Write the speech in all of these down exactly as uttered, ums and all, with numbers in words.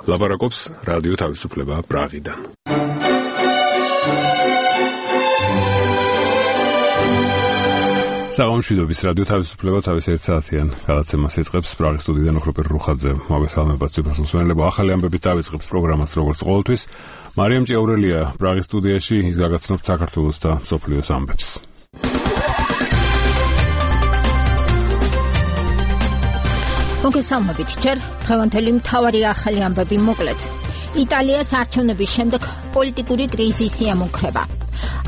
ლაპარაკობს რადიო თავისუფლება პრაღიდან. საღამოშვიდობის რადიო თავისუფლება თავის ერთ საათიან გადაცემას იწყებს პრაღის სტუდიიდან ოქროპერ რუხაძე. მოგესალმებათ სიუხვეს მსმენელებო. ახალი ამბებით დავიწყებს პროგრამას როგორც ყოველთვის. მარიამ ჭეურელია პრაღის სტუდიაში, ის გაგაცნობთ საქართველოს და მსოფლიოს ამბებს. მოგესალმებით. ჯერ დღევანდელი მთავარი ახალი ამბები მოკლედ. იტალიას არჩევნების შემდეგ პოლიტიკური კრიზისი ემუქრება.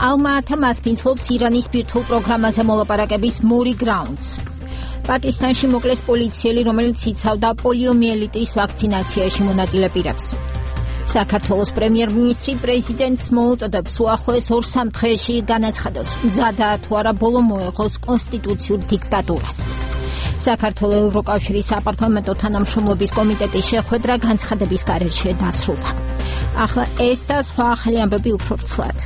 ალმა-ატა მასპინძლობს ირანის ბირთვულ პროგრამაზე მოლაპარაკების მორი გრაუნდს. პაკისტანში მოკლეს პოლიციელი, რომელიც იცავდა პოლიომიელიტის ვაქცინაციაში მონაწილე პირებს. საქართველოს პრემიერ-მინისტრი პრეზიდენტს მოუწოდებს უახლოეს ორ-სამ დღეში განაცხადოს, მზადაა თუ არა ბოლო მოეღოს კონსტიტუციურ დიქტატურას. საქართველოს ევროკავშირის საპარლამენტო თანამშრომლობის კომიტეტის შეხვედრა განცხადების გარეშე დასრულდა. ახლა ეს და სხვა ახალი ამბები უფრო ვრცლად.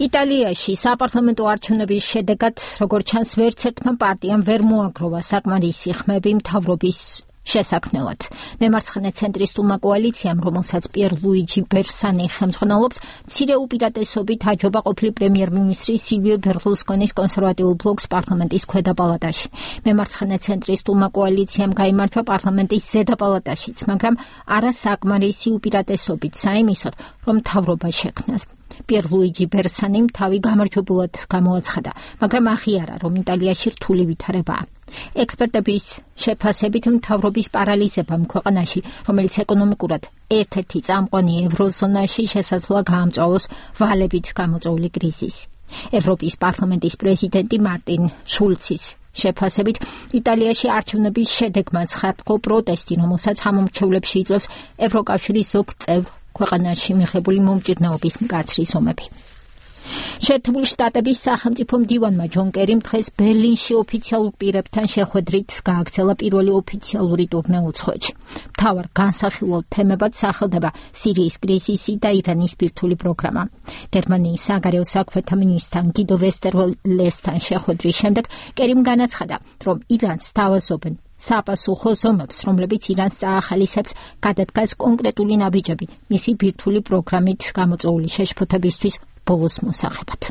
იტალიაში საპარლამენტო არჩევნების შედეგად, როგორც ჩანს, ვერც ერთმა პარტიამ ვერ მოაგროვა საკმარისი ხმები მთავრობის შესაქმნელად. მემარცხენე ცენტრისტულმა კოალიციამ, რომელსაც პიერ ლუიჯი ბერსანი ხელმძღვანელობს, მცირე უპირატესობით აჯობა ყოფილი პრემიერ-მინისტრი სილვიო ბერლუსკონის კონსერვატიულ ბლოკს პარლამენტის ქვედა პალატაში. მემარცხენე ცენტრისტულმა კოალიციამ გაიმარჯვა პარლამენტის ზედა პალატაშიც, მაგრამ არა საკმარისი უპირატესობით საიმისოდ, რომ მთავრობა შექმნას. პიერ ლუიჯი ბერსანიმ თავი გამარჯვებულად გამოაცხადა, მაგრამ აღიარა, რომ იტალიაში რთული ვითარებაა. ექსპერტების შეფასებით მთავრობის პარალიზებამ ქვეყანაში, რომელიც ეკონომიკურად ერთ-ერთი წამყვანი ევროზონაში, შესაძლოა გაამწვავოს ვალებით გამოწვეული კრიზისი. ევროპის პარლამენტის პრეზიდენტი მარტინ შულცის შეფასებით, იტალიაში არჩევნების შედეგმა ცხადყო პროტესტი, რომელსაც ამომრჩევლებში იწვევს ევროკავშირის ზოგ წევრ ქვეყანაში მიღებული მომჭირნეობის მკაცრი ზომები. შეერთებული შტატების სახელმწიფო მდივანმა ჯონ კერიმ დღეს ბერლინში ოფიციალურ პირებთან შეხვედრით გააგრძელა პირველი ოფიციალური ტურნე უცხოეთში. მთავარ განსახილველ თემებად სახელდება სირიის კრიზისი და ირანის ბირთვული პროგრამა. გერმანიის საგარეო საქმეთა მინისტრთან გიდო ვესტერველესთან შეხვედრის შემდეგ კერიმ განაცხადა, რომ ირანს თავაზობენ საპასუხო ზომებს, რომლებიც ირანს წაახალისებს გადადგას კონკრეტული ნაბიჯები მისი ბირთვული პროგრამით გამოწვეული შეშფოთებისთვის ბოლოს მოსახებად.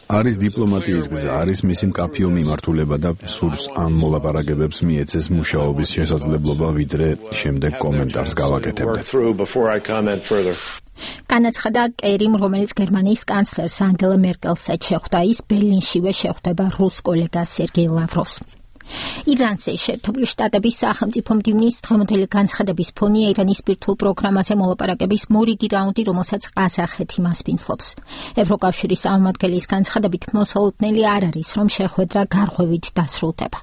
არის დიპლომატიის გზა, არის მისი მკაფიო მიმართულება და სურს ამ მოლაპარაკებებს მიეცეს მუშაობის შესაძლებლობა, ვიდრე შემდეგ კომენტარს გავაკეთებდე. განაცხადა კერიმ, რომელიც გერმანიის კანცლერს ანგელა მერკელსაც შეხვდა, ის ბერლინშივე შეხვდება რუს კოლეგას სერგეი ლავროვს. ირანზე შეერთებული შტატების სახელმწიფო მდივნის დღევანდელი განცხადების ფონია ირანის ბირთვულ პროგრამაზე მოლაპარაკების მორიგი რაუნდი, რომელსაც ყაზახეთი მასპინძლობს. ევროკავშირის წარმომადგენლის განცხადებით მოსალოდნელი არ არის, რომ შეხვედრა გარღვევით დასრულდება.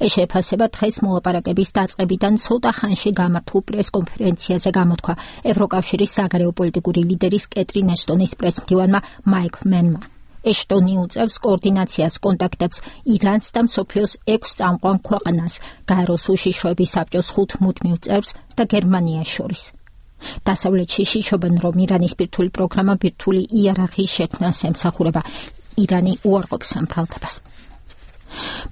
ეს შეფასება დღეს მოლაპარაკების დაწყებიდან ცოტა ხანში გამართულ პრესკონფერენციაზე გამოთქვა ევროკავშირის საგარეო პოლიტიკური ლიდერის კეტრინ ეშტონის პრესმდივანმა მაიკლ მენმა. ეშტონი უწევს კოორდინაციას კონტაქტებს ირანს და მსოფლიოს ექვს წამყვან ქვეყანას, გაეროს უშიშროების საბჭოს ხუთ მუდმივ წევრს და გერმანიას შორის. დასავლეთში შიშობენ, რომ ირანის ბირთვული პროგრამა ბირთვული იერარქიის შექმნას ემსახურება. ირანი უარყოფს ამ ბრალდებას.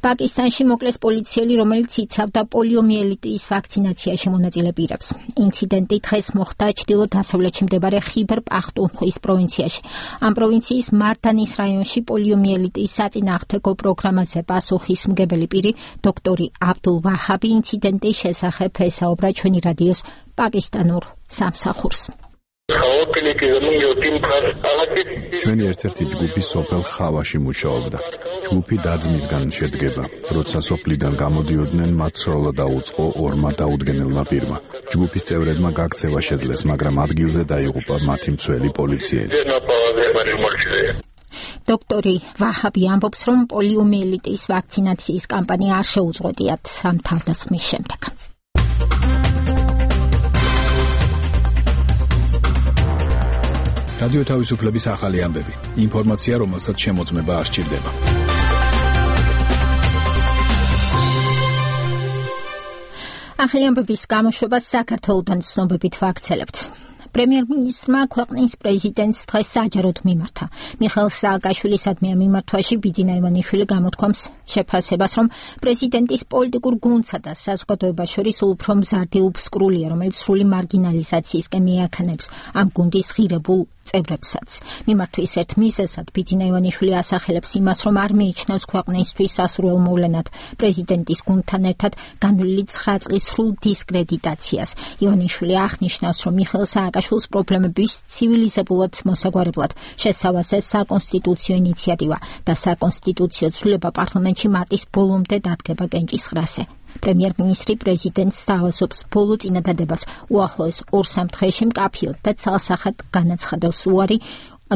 პაკისტანში მოკლეს პოლიციელი, რომელიც იცავდა პოლიომიელიტის ვაქცინაციაში მონაწილე პირებს. ინციდენტი დღეს მოხდა ჩრდილო-დასავლეთში მდებარე ხიბერ პახტუნხვის პროვინციაში. ამ პროვინციის მარდანის რაიონში პოლიომიელიტის საწინააღმდეგო პროგრამაზე პასუხისმგებელი პირი, დოქტორი აბდულ ვაჰაბი, ინციდენტის შესახებ ესაუბრა ჩვენი რადიოს პაკისტანურ სამსახურს. ჩვენი ერთ-ერთი ჯგუფი სოფელ ხავაში მუშაობდა. ჯგუფი დაძმისგან შედგება. როცა სოფლიდან გამოდიოდნენ, მათ სროლა დაუწყო ორმა დაუდგენელმა პირმა. ჯგუფის წევრებმა გაქცევა შეძლეს, მაგრამ ადგილზე დაიღუპა მათი მცველი პოლიციელი. დოქტორი ვაჰაბი ამბობს, რომ პოლიომიელიტის ვაქცინაციის კამპანია არ შეუწყვეტიათ ამ თავდასხმის შემდეგ. რადიო თავისუფლების ახალი ამბები. ინფორმაცია, რომელსაც შემოწმება არ სჭირდება. ახალი ამბების გამოშვებას საქართველოდან ცნობებით ვაქცელებთ. პრემიერ-მინისტრმა ქვეყნის პრეზიდენტს დღეს საჯაროდ მიმართა. მიხეილ სააკაშვილისადმი ამ მიმართვაში ბიძინა ივანიშვილი გამოთქვამს შეფასებას, რომ პრეზიდენტის პოლიტიკურ გუნდსა და საზოგადოებას შორის უფრო მზარდი უფსკრულია, რომელიც სრული მარგინალიზაციისკენ მიაქნებს ამ გუნდის ღირებულ წევრებსაც. მიმართვის ერთ მიზეზად ბიძინა ივანიშვილი ასახელებს იმას, რომ არ მიიჩნევს ქვეყნისთვის სასურველ მოვლენად პრეზიდენტის გუნდთან ერთად განვლილი ცხრა წლის სრულ დისკრედიტაციას. ივანიშვილი აღნიშნავს, რომ მიხეილ სააკაშვილის პრობლემების ცივილიზებულად მოსაგვარებლად შესთავაზა საკონსტიტუციო ინიციატივა და საკონსტიტუციო ცვლილება პარლამენტში მარტის ბოლომდე დადგება კენჭისყრაზე. პრემიერ-მინისტრი პრეზიდენტს სთავაზობს ბოლო წინადადებას უახლოეს ორ-სამ დღეში მკაფიოდ და ცალსახად განაცხადოს უარი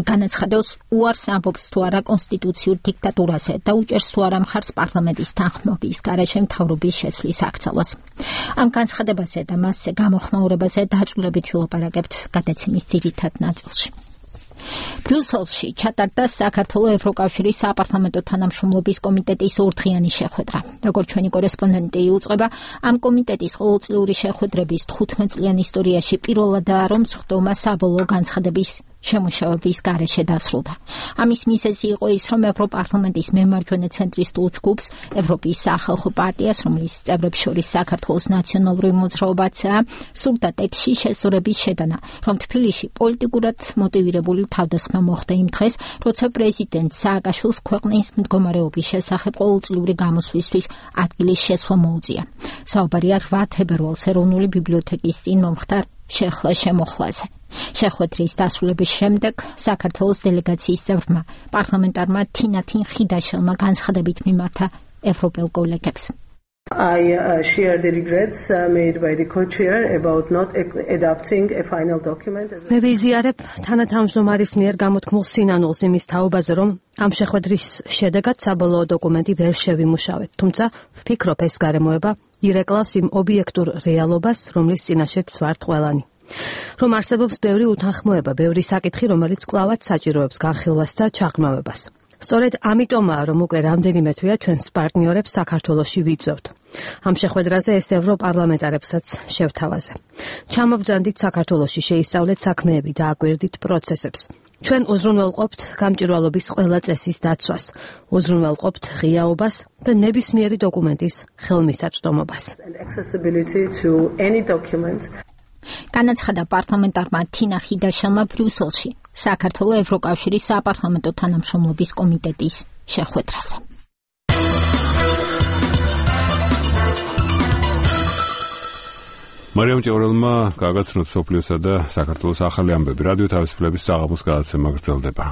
განაცხადოს უარს ამბობს თუ არა კონსტიტუციურ დიქტატურაზე და უჭერს თუ არა მხარს პარლამენტის თანხმობის გარეშე მთავრობის შეცვლის აქცევას. ამ განცხადებაზე და მასზე გამოხმაურებაზე დაწვრილებით ვილაპარაკებთ გადაცემის ძირითად ნაწილში. ბრიუსელში ჩატარდა საქართველოს ევროკავშირის საპარლამენტო თანამშრომლობის კომიტეტის ორდღიანი შეხვედრა. როგორც ჩვენი კორესპონდენტი იუწყება, ამ კომიტეტის ყოველწლიური შეხვედრების თხუთმეტ წლიან ისტორიაში პირველადაა, რომ სხდომა საბოლოო განცხადების შემუშავების გარეშე დასრულდა. ამის მიზეზი იყო ის, რომ ევროპარლამენტის მემარჯვენე ცენტრისტულ ჯგუფს, ევროპის სახალხო პარტიას, რომლის წევრებს შორის საქართველოს ნაციონალური მოძრაობაცაა, სურდა ტექსტში შესწორების შეტანა, რომ თბილისში პოლიტიკურად მოტივირებული თავდასხმა მოხდა იმ დღეს, როცა პრეზიდენტ სააკაშვილს ქვეყნის მდგომარეობის შესახებ ყოველწლიური გამოსვლისთვის ადგილის შეცვლა მოუწია. საუბარია რვა თებერვალს ეროვნული ბიბლიოთეკის წინ მომხდარ შეხლა-შემოხლაზე. შეხვედრის დასრულების შემდეგ საქართველოს დელეგაციის წევრმა პარლამენტარმა თინათინ ხიდაშელმა განცხადებით მიმართა ევროპელ კოლეგებს. I uh, share the regrets uh, made by the co-chair about not adopting a final document. მე ვიზიარებ თანათავმჯდომარის მიერ გამოთქმულ სინანულს იმის თაობაზე, რომ ამ შეხვედრის შედეგად საბოლოო დოკუმენტი ვერ შევიმუშავეთ. თუმცა ვფიქრობ, ეს გარემოება ირეკლავს იმ ობიექტურ რეალობას, რომლის წინაშეც ვართ ყველანი. რომ არსებობს ბევრი უთანხმოება, ბევრი საკითხი, რომელიც კვლავაც საჭიროებს განხილვას და ჩაღრმავებას. სწორედ ამიტომაა, რომ უკვე რამდენიმე თვეა ჩვენს პარტნიორებს საქართველოში ვიწევთ. ამ შეხვედრაზე ეს ევროპარლამენტარებსაც შევთავაზე. ჩამობძანდით საქართველოში შეისწავლეთ საქმეები და აკვირდით პროცესებს. ჩვენ უზრუნველყოფთ გამჭვირვალობის ყველა წესის დაცვას, უზრუნველყოფთ ღიაობას და ნებისმიერი დოკუმენტის ხელმისაწვდომობას. განაცხადა პარლამენტარმა თინა ხიდაშელმა ბრიუსელში საქართველოს ევროკავშირის საპარლამენტო თანამშრომლობის კომიტეტის შეხვედრაზე. მარიამ ჭევრელმა გაგაცნოთ სოფლიოსა და საქართველოს ახალი ამბები. რადიო თავისუფლების საღამოს გადაცემა გრძელდება.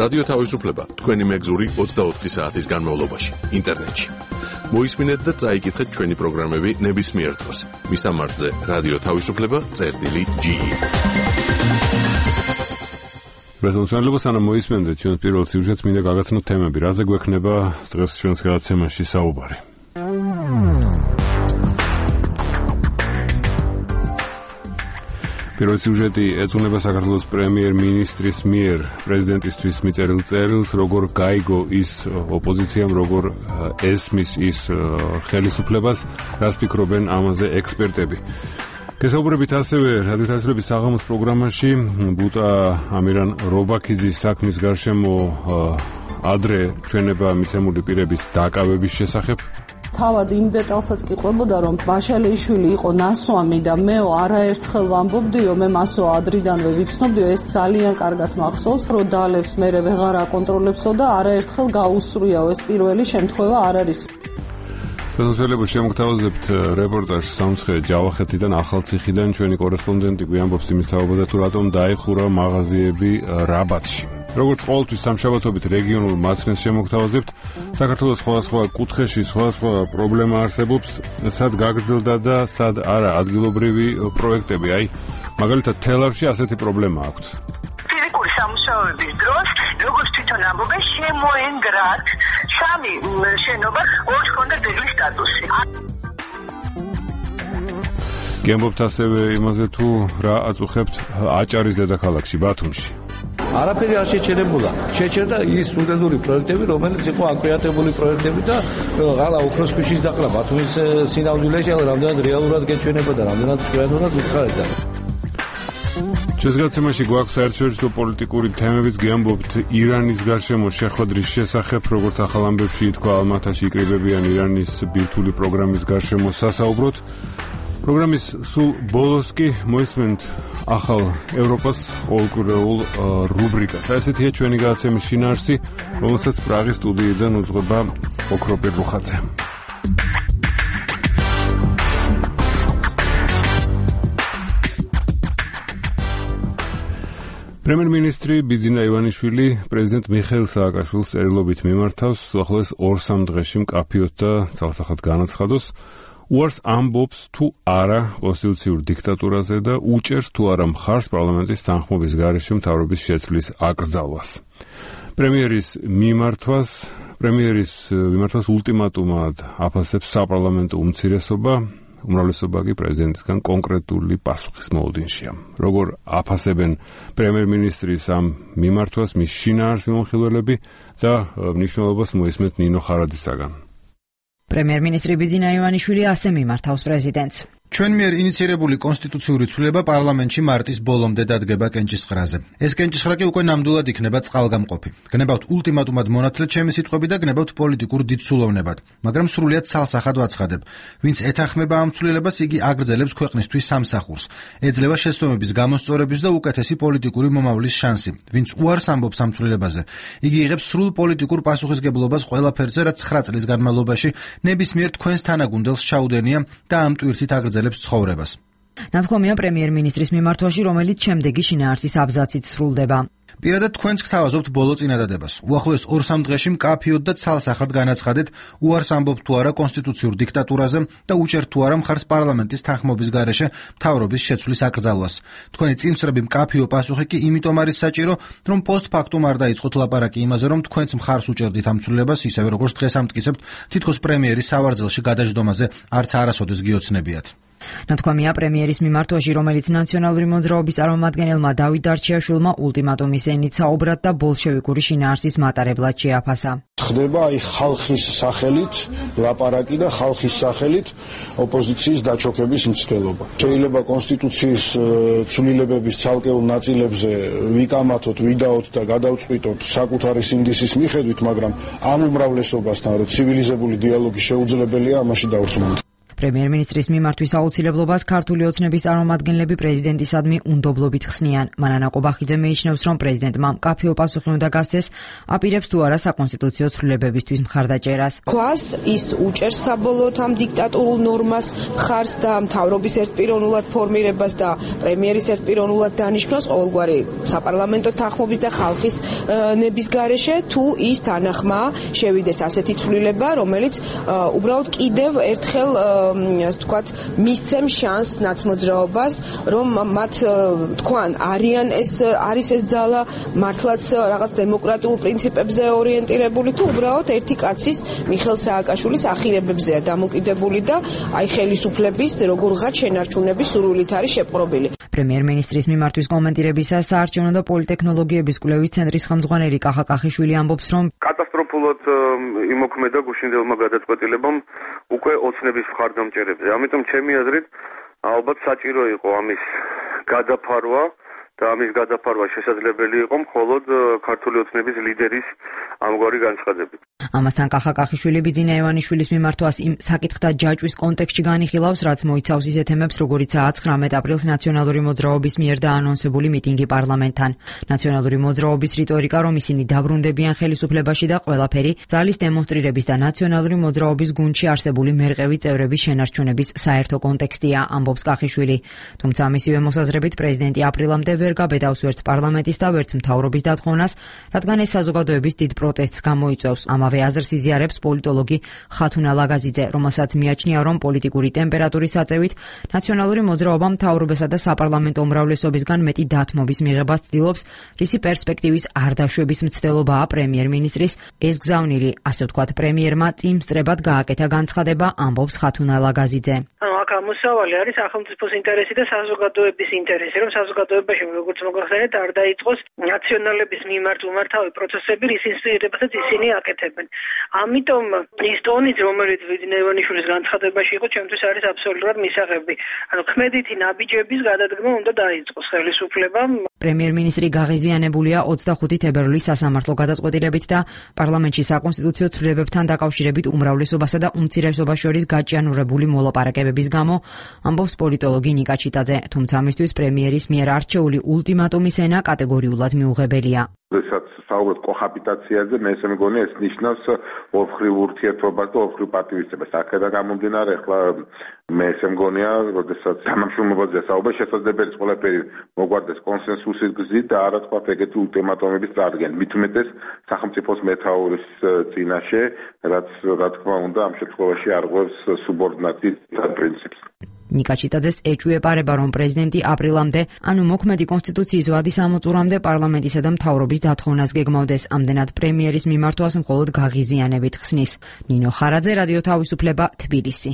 რადიო თავისუფლება თქვენი მეგზური ოცდაოთხი საათის განმავლობაში ინტერნეტში. მოისმინეთ და წაიკითხეთ ჩვენი პროგრამები ნებისმიერ დროს. მისამართზე რადიო თავისუფლება წერტილი ჯი. პრეზიდენტი სანამ მოისმენდეთ ჩვენ პირველ სიუჟეტს მინდა გაგაცნოთ თემები, რაზე გვექნება დღეს ჩვენს გადაცემაში საუბარი. პირველი სიუჟეტი ეძღვნება საქართველოს პრემიერ-მინისტრის მიერ პრეზიდენტისთვის მიწერილ წერილს, როგორ გაიგო ის ოპოზიციამ, როგორ ესმის ის ხელისუფლებას, რას ფიქრობენ ამაზე ექსპერტები. გესაუბრებით ასევე რადიო თავისუფლების საღამოს პროგრამაში ბუტა ამირან რობაქიძის საქმის გარშემო ადრე ჩვენება მიცემული პირების დაკავების შესახებ. თავად იმ დეტალსაც კი ყვებოდა, რომ ბაშალიშვილი იყო ნასვამი და მეო არაერთხელ ვამბობდიო, მე მასო ადრიდანვე ვიცნობდიო, ეს ძალიან კარგად მახსოვს, რომ დალევს მერე ვეღარ აკონტროლებსო და არაერთხელ გაუსწრიაო, ეს პირველი შემთხვევა არ არის. შესაძლებლობა შემოგთავაზებთ რეპორტაჟს სამცხე ჯავახეთიდან, ახალციხიდან. ჩვენი კორესპონდენტი გვიამბობს იმის თაობაზე, თუ რატომ დაიხურა მაღაზიები რაბათში. როგორც ყოველთვის სამშაბათობით რეგიონულ მაცნეს შემოგთავაზებთ. საქართველოს სხვადასხვა კუთხეში სხვადასხვა პრობლემა არსებობს, სად გაგრძელდა და სად არა ადგილობრივი პროექტები. აი, მაგალითად თელავში ასეთი პრობლემა აქვს. ფიზიკური სამუშაოების დროს, როგორც თვითონ ამბობენ, შემოენგრათ სამი შენობა, ორი ჰქონდა ძეგლის სტატუსი. გემბობთ ასევე იმაზე, თუ რა აწუხებთ აჭარის დედაქალაქში, ბათუმში. არაფერი არ შეჩერებულა. შეჩერდა ის სტუდენტური პროექტები, რომელიც იყო აკრეატებული პროექტები და ღალა ოქროს ქვიშის დაყრა ბათუმის სინამდვილეში, αλλά რამდენად რეალურად გეჩვენება და რამდენად ჭკვიანურად უთხარდა. შესაძლებელი გვაქვს საერთაშორისო პოლიტიკური თემებიც გიამბობთ ირანის გარშემო შეხვედრის შესახებ, როგორც ახალ ამბებში ითქვა, ალმათაში იკრიბებიან ირანის ბირთვული პროგრამის გარშემო სასაუბროთ. პროგრამის სულ ბოლოს კი მოისმენთ ახალ ევროპას ყოველკვირეულ რუბრიკას. ესეთია ჩვენი გადაცემის შინაარსი, რომელსაც პრაღის სტუდიიდან უძღვება ოქროპირ რუხაძე. პრემიერ-მინისტრი ბიძინა ივანიშვილი პრეზიდენტ მიხეილ სააკაშვილის წერილობით მიმართავს უახლოეს ორ-სამ დღეში მკაფიოდ და ძალსახად განაცხადოს, უარს ამბობს თუ არა კონსტიტუციურ დიქტატურაზე და უჭერს თუ არა მხარს პარლამენტის თანხმობის გარეშე მთავრობის შეცვლის აკრძალვას. პრემიერის მიმართვას პრემიერის მიმართვას ულტიმატუმად აფასებს საპარლამენტო უმცირესობა, უმრავლესობა კი პრეზიდენტისგან კონკრეტული პასუხის მოლოდინშია. როგორ აფასებენ პრემიერ-მინისტრის ამ მიმართვას მის შინაარს მიმოხილველები და მნიშვნელობას მოისმენთ ნინო ხარაძისაგან. პრემიერ-მინისტრი ბიძინა ივანიშვილი ასე მიმართავს პრეზიდენტს. ჩვენ მიერ ინიცირებული კონსტიტუციური ცვლილება პარლამენტში მარტის ბოლომდე დადგება კენჭისყრაზე. ეს კენჭისყრა კი უკვე ნამდვილად იქნება წყალგამყოფი. გნებავთ ულტიმატუმად მონათლეთ ჩემი სიტყვები და გნებავთ პოლიტიკურ დიდსულოვნებად, მაგრამ სრულიად ცალსახად ვაცხადებ. ვინც ეთანხმება ამ ცვლილებას, იგი აგრძელებს ქვეყნისთვის სამსახურს. ეძლევა შეცდომების გამოსწორების და უკეთესი პოლიტიკური მომავლის შანსი. ვინც უარს ამბობს ამ ცვლილებაზე, იგი იღებს სრულ პოლიტიკურ პასუხისგებლობას ყველაფერზე, რაც ცხრა წლის განმავლობაში ნებისმიერ თქვენს თანაგუნდელს ჩაუდენია და ამ ტვირთით აგრძელებს ცხოვრებას. ნათქვამია პრემიერ-მინისტრის მიმართვაში, რომელიც შემდეგი შინაარსის აბზაცით სრულდება. პირადად თქვენს გთავაზობთ ბოლო წინადადებას. უახლოეს ორ-სამ დღეში მკაფიოდ და ცალსახად განაცხადეთ, უარს ამბობთ თუ არა კონსტიტუციურ დიქტატურაზე და უჭერთ თუ არა მხარს პარლამენტის თანხმობის გარეშე მთავრობის შეცვლის აკრძალვას. თქვენი წინსწრები მკაფიო პასუხი კი იმიტომ არის საჭირო, რომ პოსტფაქტუმ არ დაიწყოთ ლაპარაკი იმაზე, რომ თქვენც მხარს უჭერდით ამ ცვლილებას, ისევე როგორც დღეს ამტკიცებთ, თითქოს პრემიერის სავარძელში გადაждდომაზე არც არასოდეს გიოცნებიათ. ნათქვამია პრემიერის მიმართვაში, რომელიც ნაციონალური მოძრაობის წარმომადგენელმა დავით დარჩიაშვილმა ულტიმატუმის ენით საუბრად და ბოლშევიკური შინაარსის მატარებლად შეაფასა. ხდება აი ხალხის სახელით ლაპარაკი და ხალხის სახელით ოპოზიციის დაჩოქების მცდელობა. შეიძლება კონსტიტუციის ცვლილებების ცალკეულ ნაწილებზე ვიკამათოთ, ვიდაოთ და გადავწყვიტოთ საკუთარი სინდისის მიხედვით, მაგრამ ამ უმრავლესობასთან, რომ ცივილიზებული დიალოგი შეუძლებელია, ამაში დავრწმუნდით. პრემიერ-მინისტრის მიმართვის აუცილებლობას ქართული ოცნების წარმომადგენლები პრეზიდენტისადმი უნდობლობით ხსნიან. მანანა ყობახიძე მიიჩნევს, რომ პრეზიდენტმა მკაფიო პასუხი უნდა გასცეს, აპირებს თუ არა საკონსტიტუციო ცვლილებებისთვის მხარდაჭერას. ქვას ის უჭერს საბოლოოდ ამ დიქტატურულ ნორმას მხარს და მთავრობის ერთპიროვნულად ფორმირებას და პრემიერის ერთპიროვნულად დანიშვნას ყოველგვარი საპარლამენტო თანხმობის და ხალხის ნების გარეშე, თუ ის თანახმა შევიდეს ასეთი ცვლილება, რომელიც უბრალოდ კიდევ ერთხელ ასე ვთქვათ, მისცემ შანსს ნაცმოძრაობას, რომ მათ თქვან არიან ეს არის ეს ძალა მართლაც რაღაც დემოკრატიულ პრინციპებზე ორიენტირებული თუ უბრალოდ ერთი კაცის მიხეილ სააკაშვილის ახირებებზეა დამოკიდებული და აი ხელისუფლების როგორღაც შენარჩუნების სურვილით არის შეპყრობილი. პრემიერ-მინისტრის მიმართვის კომენტირებისას საარჩევნო და პოლიტექნოლოგიების კვლევის ცენტრის ხელმძღვანელი კახა კახიშვილი ამბობს, რომ კატასტროფულად იმოქმედა გუშინდელმა გადაწყვეტილებამ უკვე ოცნების მხარდამჭერებზე. ამიტომ ჩემი აზრით ალბათ საჭირო იყო ამის გადაფარვა და ამის გადაფარვა შესაძლებელი იყო მხოლოდ ქართული ოცნების ლიდერის ამგვარი განცხადებით. ამასთან კახა კახიშვილი ბიძინა ივანიშვილის მიმართვას იმ საკითხთა ჯაჭვის კონტექსტში განიხილავს, რაც მოიცავს ისეთ თემებს, როგორიცაა ცხრამეტ აპრილს ნაციონალური მოძრაობის მიერ დაანონსებული მიტინგი პარლამენტთან. ნაციონალური მოძრაობის რიტორიკა, რომ ისინი დაბრუნდებიან ხელისუფლებაში და ყველაფერი ძალის დემონსტრირების და ნაციონალური მოძრაობის გუნდში არსებული მერყევი წევრების შენარჩუნების საერთო კონტექსტია, ამბობს კახიშვილი. თუმცა მისივე მოსაზრებით პრეზიდენტი აპრილამდე ვერ გაბედავს ვერც პარლამენტის და ვერც მთავრობის დათხოვნას, რადგან ეს საზოგადოების დიდ პროტესტს გამოიწვევს. ამავე აზრს იზიარებს პოლიტოლოგი ხათუნა ლაგაზიძე, რომელსაც მიაჩნია, რომ პოლიტიკური ტემპერატურის აწევით ნაციონალური მოძრაობა მთავრობასა და საპარლამენტო უმრავლესობისგან მეტი დათმობის მიღებას ცდილობს, რისი პერსპექტივის არ დაშვების მცდელობაა პრემიერ-მინისტრის ეს გზავნილი, ასე ვთქვათ, პრემიერმა წინსწრებად გააკეთა განცხადება, ამბობს ხათუნა ლაგაზიძე. აქ მოსავალი არის სახელმწიფოს ინტერესი და საზოგადოების ინტერესი, რომ საზოგადოებაში როგორც მოგახსენეთ, არ დაიწყოს ნაციონალების მიმართ უმართავი პროცესები, რის ინსტიტუტებსაც ისინი აკეთებენ. ამიტომ ის ტონიც, რომელიც ვიძინა ივანიშვილის განცხადებაში იყო, ჩემთვის არის აბსოლუტურად მისაღები. ანუ ქმედითი ნაბიჯების გადადგმა უნდა დაიწყოს ხელისუფლებამ. პრემიერ-მინისტრი გაღიზიანებულია ოცდახუთი თებერვლის სასამართლო გადაწყვეტილებით და პარლამენტში საკონსტიტუციო ცვლილებებთან დაკავშირებით უმრავლესობასა და უმცირესობას შორის გაჭიანურებული მოლაპარაკებების გამო, ამბობს პოლიტოლოგი ნიკა ჩიტაძე, თუმცა ამისთვის პრემიერის მიერ არჩეული ულტიმატუმის ენა კატეგორიულად მიუღებელია. როდესაც საუბრობთ კოჰაბიტაციაზე, მე ესე მგონი ეს ნიშნავს ორხრივ ურთიერთობას და ორხრივ პატივისცემას. აქედან გამომდინარე, ახლა მე ესე მგონია, როდესაც თანამშრომლობაზე საუბარი შესაძლებელია ყველაფერი მოგვარდეს კონსენსუსის გზით და არა თქვა ეგეთი ულტიმატუმების წარდგენა. მით უმეტეს სახელმწიფოს მეთაურის წინაშე, რაც რა თქმა უნდა ამ შემთხვევაში არღვევს სუბორდინაციის პრინციპს. ნიკა ჩიტაძეს ეჭვიეპარება, რომ პრეზიდენტი აპრილამდე, ანუ მოქმედი კონსტიტუციის ვადის ამოწურამდე პარლამენტისა და მთავრობის დათხოვნას გეგმავდეს. ამდენად პრემიერის მიმართვას მხოლოდ გაღიზიანებით ხსნის. ნინო ხარაძე, რადიო თავისუფლება, თბილისი.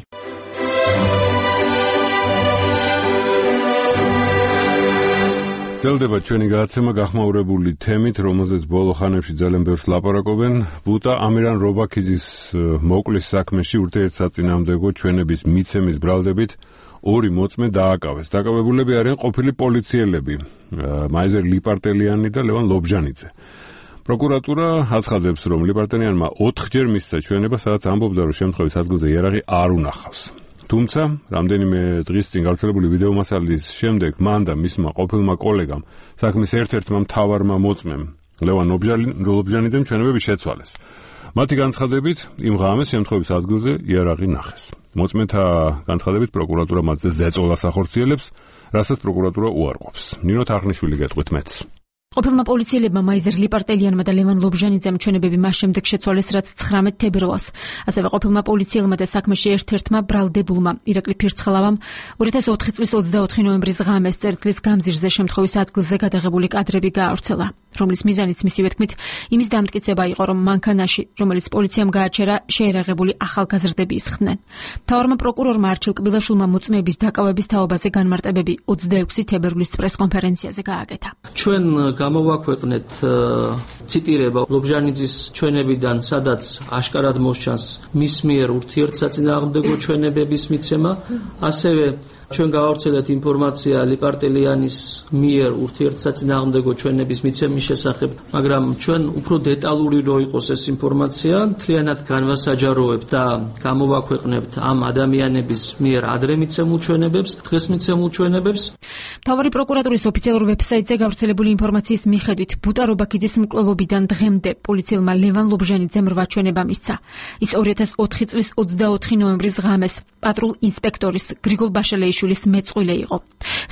ძლდება ჩვენი გადაცემა გახმაურებული თემით, რომელზეც ბოლო ხანებში ძალიან ბევრს ლაპარაკობენ. ბუტა ამირან რობაქიძის მოკლის საქმეში ურთიერთსაწინააღმდეგო ჩვენების მიცემის ბრალდებით ორი მოწმე დააკავეს. დაკავებულები არიან ყოფილი პოლიციელები, მაიზერ ლიპარტელიანი და ლევან ლობჟანიძე. პროკურატურა აცხადებს, რომ ლიპარტელიანმა ოთხჯერ მისცა ჩვენება, სადაც ამბობდა, რომ შემთხვევის ადგილზე იარაღი არ უნახავს. თუმცა, რამდენიმე დღის წინ გავრცელებული ვიდეო მასალის შემდეგ მან და მისმა ყოფილმა კოლეგამ საქმის ერთ-ერთმა მთავარმა მოწმემ ლევან ლობჟანიძემ ჩვენებები შეცვალეს. მათი განცხადებით, იმ ღამეს შემთხვევის ადგილზე იარაღი ნახეს. მოწმეთა განცხადებით პროკურატურა მათზე ზეწოლას ახორციელებს, რასაც პროკურატურა უარყოფს. ნინო თარხნიშვილი გეტყვით მეც. ყოფილმა პოლიციელებმა მაიზერ ლიპარტელიანმა და ლევან ლობჟანიძემ ჩვენებები მას შემდეგ შეცვალეს, რაც ცხრამეტ თებერვალს. ასევე ყოფილმა პოლიციელმა და საქმეში ერთ-ერთმა ბრალდებულმა ირაკლი ფირცხალავამ ორი ათას ოთხი წლის ოცდაოთხი ნოემბრის ღამეს წერტილის გამზირზე შემთხვევის ადგილზე გადაღებული კადრები გაავრცელა, რომლის მიზანიც მისივე თქმით იმის დამტკიცება იყო, რომ მანქანაში, რომელიც პოლიციამ გააჩერა, შეერაღებული ახალგაზრდები ისხდნენ. მთავარმა პროკურორმა არჩილ კბილაშვილმა მოწმეების დაკავების თაობაზე განმარტებები ოცდაექვსი თებერვლის პრესკონფერენციაზე გააკეთა. ჩვენ გამოვაქვეყნეთ ციტირება ლობჟანიძის ჩვენებიდან, სადაც აშკარად მოსჩანს მის მიერ ურთიერთსაწინააღმდეგო ჩვენებების მიცემა, ასევე ჩვენ გავავრცელეთ ინფორმაცია ლიპარტელიანის მიერ ურთიერთსაწინააღმდეგო ჩვენების მიცემის შესახებ, მაგრამ ჩვენ უფრო დეტალური რო იყოს ეს ინფორმაცია, მთლიანად განვასაჯაროვებთ და გამოვაქვეყნებთ ამ ადამიანების მიერ ადრე მიცემულ ჩვენებებს, დღეს მიცემულ ჩვენებებს. მთავარი პროკურატურის ოფიციალურ ვებსაიტზე გავრცელებული ინფორმაციის მიხედვით, ბუტა რობაქიძის მკვლელობიდან დღემდე პოლიციელმა ლევან ლობჟანიძემ რვა ჩვენება მისცა. ის ორი ათას ოთხი წლის ოცდაოთხი ნოემბრის ღამეს პატრულ ინსპექტორის გრიგოლ ბაშალეიშვილის მეწყვილე იყო.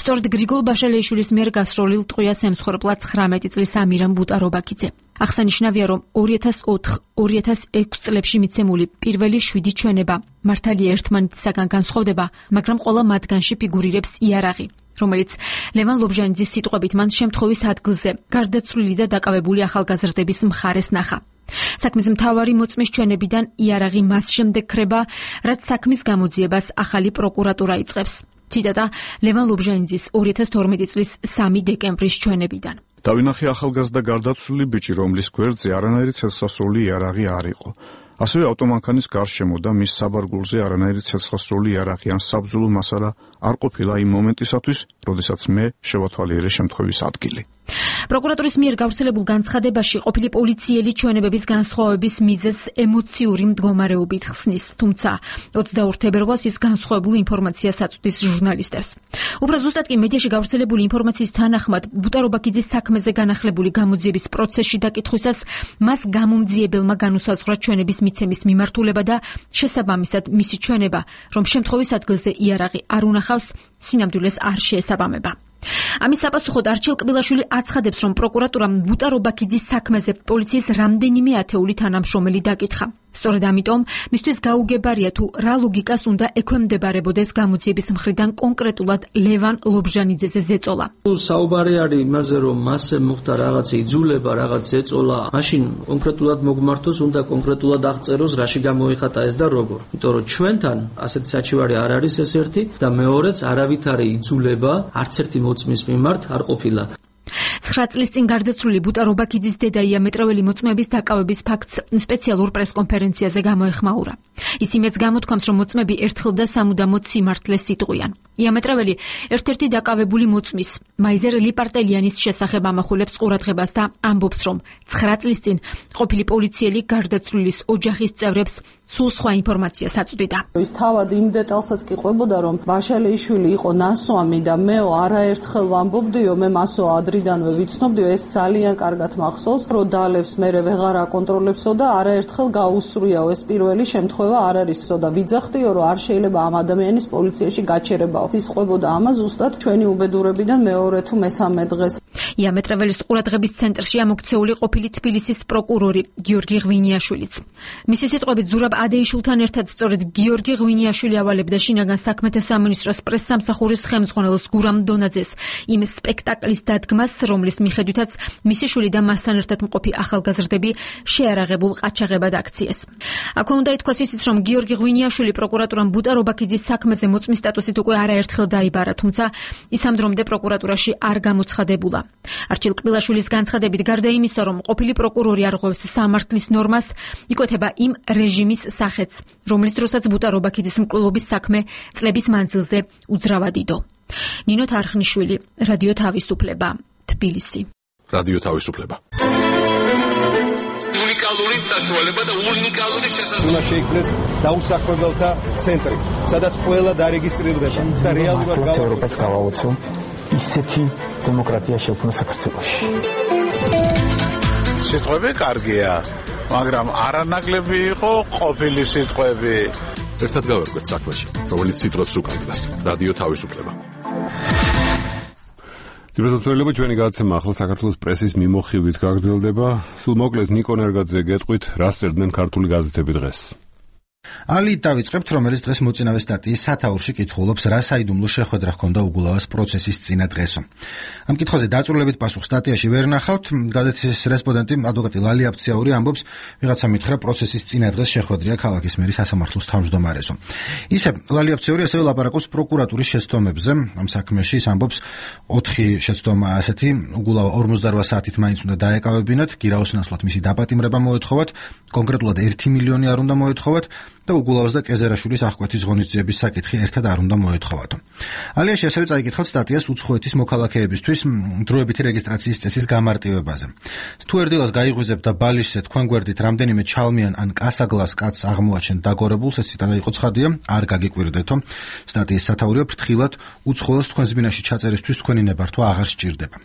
სწორედ გრიგოლ ბაშალეიშვილის მიერ გასროლილ ტყვიას ემსხვერპლა ცხრამეტი წლის ამირან ბუტა რობაქიძე. აღსანიშნავია, რომ ორი ათას ოთხ ორი ათას ექვსი წლებში მიცემული პირველი შვიდი ჩვენება მართალია ერთმანეთისაგან განსხვავდება, მაგრამ ყველა მათგანში ფიგურირებს იარაღი, რომელიც ლევან ლობჟანიძის სიტყვებით მან შემთხვევის ადგილზე გარდაცვლილი და დაკავებული ახალგაზრდების მხარეს ნახა. საქმის მთავარი მოწმის ჩვენებიდან იარაღი მას შემდეგ ქრება, რაც საქმის გამოძიებას ახალი პროკურატურა იწყებს. ციტატა ლევან ლობჟანიძის ორი ათას თორმეტი წლის სამი დეკემბრის ჩვენებიდან. დავინახე ახალგაზრდა გარდაცვლილი ბიჭი, რომლის გვერდზე არანაირი ცეცხლსასროლი იარაღი არ იყო. ასევე ავტომანქანის გარშემო და მის საბარგულზე არანაირი ცეცხლსასროლი იარაღი ან საბრძოლო მასალა არ ყოფილა იმ მომენტისათვის, როდესაც მე შევათვალიერე შემთხვევის ადგილი. პროკურატურის მიერ გავრცელებულ განცხადებაში ყოფილი პოლიციელი ჩვენებების განსხვავების მიზეზს ემოციური მდგომარეობით ხსნის, თუმცა ოცდაორ თებერვალს ის განსხვავებულ ინფორმაციას აწვდის ჟურნალისტებს. უფრო ზუსტად კი მედიაში გავრცელებული ინფორმაციის თანახმად, ბუტა რობაქიძის საქმეზე განახლებული გამოძიების პროცესში დაკითხვისას მას გამომძიებელმა განუსაზღვრა ჩვენების მიცემის მიმართულება და შესაბამისად მისი ჩვენება, რომ შემთხვევის ადგილზე იარაღი არ უნახავს, სინამდვილეს არ შეესაბამება. ამის საპასუხოდ არჩილ კბილაშვილი აცხადებს, რომ პროკურატურამ ბუტა რობაქიძის საქმეზე პოლიციის რამდენიმე ათეული თანამშრომელი დაკითხა. სწორედ ამიტომ მისთვის გაუგებარია თუ რა ლოგიკას უნდა ექვემდებარებოდეს გამოძიების მხრიდან კონკრეტულად ლევან ლობჟანიძეზე ზეწოლა. საუბარი არის იმაზე, რომ მასზე მოხდა რაღაც იძულება, რაღაც ზეწოლა, მაშინ კონკრეტულად მოგმართოს, უნდა კონკრეტულად აღწეროს, რაში გამოიხატა ეს და როგორ. იმიტომ რომ ჩვენთან ასეთი საჩივარი არ არის ეს ერთი და მეორეც არავითარი იძულება არც ერთი მოწმის მიმართ არ ყოფილა. ცხრა წლის წინ გარდაცვლილი ბუტა რობაქიძის დედა იამეტრეველი მოწმეების დაკავების ფაქტს სპეციალურ პრესკონფერენციაზე გამოეხმაურა. ის იმედს გამოთქვამს, რომ მოწმეები ერთხელ და სამუდამოდ სიმართლეს იტყვიან. იამეტრეველი ერთ-ერთი დაკავებული მოწმის მაიზერ ლიპარტელიანის შესახებ ამახვილებს ყურადღებას და ამბობს, რომ ცხრა წლის წინ ყოფილი პოლიციელი გარდაცვლილის ოჯახის წევრებს სულ სხვა ინფორმაციას აწვდიდა. ის თავად იმ დეტალსაც კი ყვებოდა, რომ ბაშალეიშვილი იყო ნასვამი და მეო არაერთხელ ვამბობდიო, მე მასო ადრიდანვე ვიცნობდიო, ეს ძალიან კარგად მახსოვს, რომ დალევს მერე ვეღარ აკონტროლებსო და არაერთხელ გაუსწრიაო, ეს პირველი შემთხვევა არ არისო და ვიძახდიო, რომ არ შეიძლება ამ ადამიანის პოლიციაში გაჩერებაო. ის ყვებოდა ამას ზუსტად ჩვენი უბედურებიდან მეორე თუ მესამე დღეს. იამეტრეველის ყურადღების ცენტრში ამოქცეული ყოფილი თბილისის პროკურორი გიორგი ღვინიაშვილიც. მისი სიტყვებით ზურაბ ადეიშვილთან ერთად სწორედ გიორგი ღვინიაშვილი ავალებდა შინაგან საქმეთა სამინისტროს პრესსამსახურის ხელმძღვანელს გურამ დონაძეს იმ სპექტაკლის დადგმას, რომლის მიხედვითაც მისი შვილი და მასთან ერთად მყოფი ახალგაზრდები შეარაღებულ ყაჩაღებად აქციეს. აქვე უნდა ითქვას ისიც, რომ გიორგი ღვინიაშვილი პროკურატურამ ბუტა რობაქიძის საქმეზე მოწმის სტატუსით უკვე არაერთხელ დაიბარა, თუმცა ის ამ დრომდე პროკურატურაში არ გამოცხადებულა. არჩილ კბილაშვილის განცხადებით, გარდა იმისა, რომ ყოფილი პროკურორი არღვევს სამართლის ნორმას, იკვეთება იმ რეჟიმის სახეც, რომლის დროსაც ბუტა რობაქიძის მკვლელობის საქმე წლების მანძილზე უძრავად იდო. ნინო თარხნიშვილი, რადიო თავისუფლება, თბილისი. რადიო თავისუფლება. უნიკალური საშუალება და უნიკალური შესაძლებლობა. უნდა შეიქმნეს დაუსაქმებელთა ცენტრი, სადაც ყველა დარეგისტრირდება და რეალურად ევროპას გავაოცო ისეთი დემოკრატია შექმნა საქართველოში. სიტყვები კარგია, მაგრამ არანაკლები იყო ყოფილი სიტყვები. ერთად გავერკვეთ საქმეში, რომელიც სიტყვებს უკავშირდება. რადიო თავისუფლება. ძირითადად ჩვენი გადაცემა ახლა საქართველოს პრესის მიმოხილვით გაგრძელდება. სულ მოკლედ ნიკო ნერგაძე გეტყვით, რა წერდნენ ქართული გაზეთები დღეს. ალი დავიწყებთ, რომელიც დღეს მოწინავე სტატიის სათაურში კითხულობს, რა საიდუმლო შეხვედრა ჰქონდა უგულავას პროცესის წინა დღესო. ამ კითხვაზე დაწვრილებით პასუხს სტატიაში ვერ ნახავთ. გაზეთის რესპონდენტი ადვოკატი ლალი აფციაური ამბობს, ვიღაცა მითხრა პროცესის წინა დღეს შეხვედრია ქალაქის მერის სასამართლოს თავმჯდომარესო. ისე ლალი აფციაური ასევე ლაპარაკობს პროკურატურის შეცდომებზე. ამ საქმეში ის ამბობს, ოთხი შეცდომა ასეთი უგულავა ორმოცდარვა საათით მაინც უნდა დაეკავებინათ, გირაოს ნაცვლად მისი დაპატიმრება მოეთხოვათ, კონკრეტულად ერთი მილიონი არ უნდა მოეთხოვათ და უგულავას და კეზერაშვილის აღკვეთის ღონისძიების საკითხი ერთად არ უნდა მოეთხოვათო. ალიაში ასევე წაიკითხავთ სტატიას უცხოეთის მოქალაქეებისთვის დროებითი რეგისტრაციის წესის გამარტივებაზე. თუ ერდილას გაიღვიძებთ და ბალიშზე თქვენ გვერდით რამდენიმე ჩალმიან ან კასაგლას კაცს აღმოაჩენთ დაგორებულს, ეს ციტატა იყო ცხადია, არ გაგიკვირდეთო. სტატიის სათაურია ფრთხილად უცხოელს თქვენს ბინაში ჩაწერისთვის თქვენი ნებართვა აღარ სჭირდება.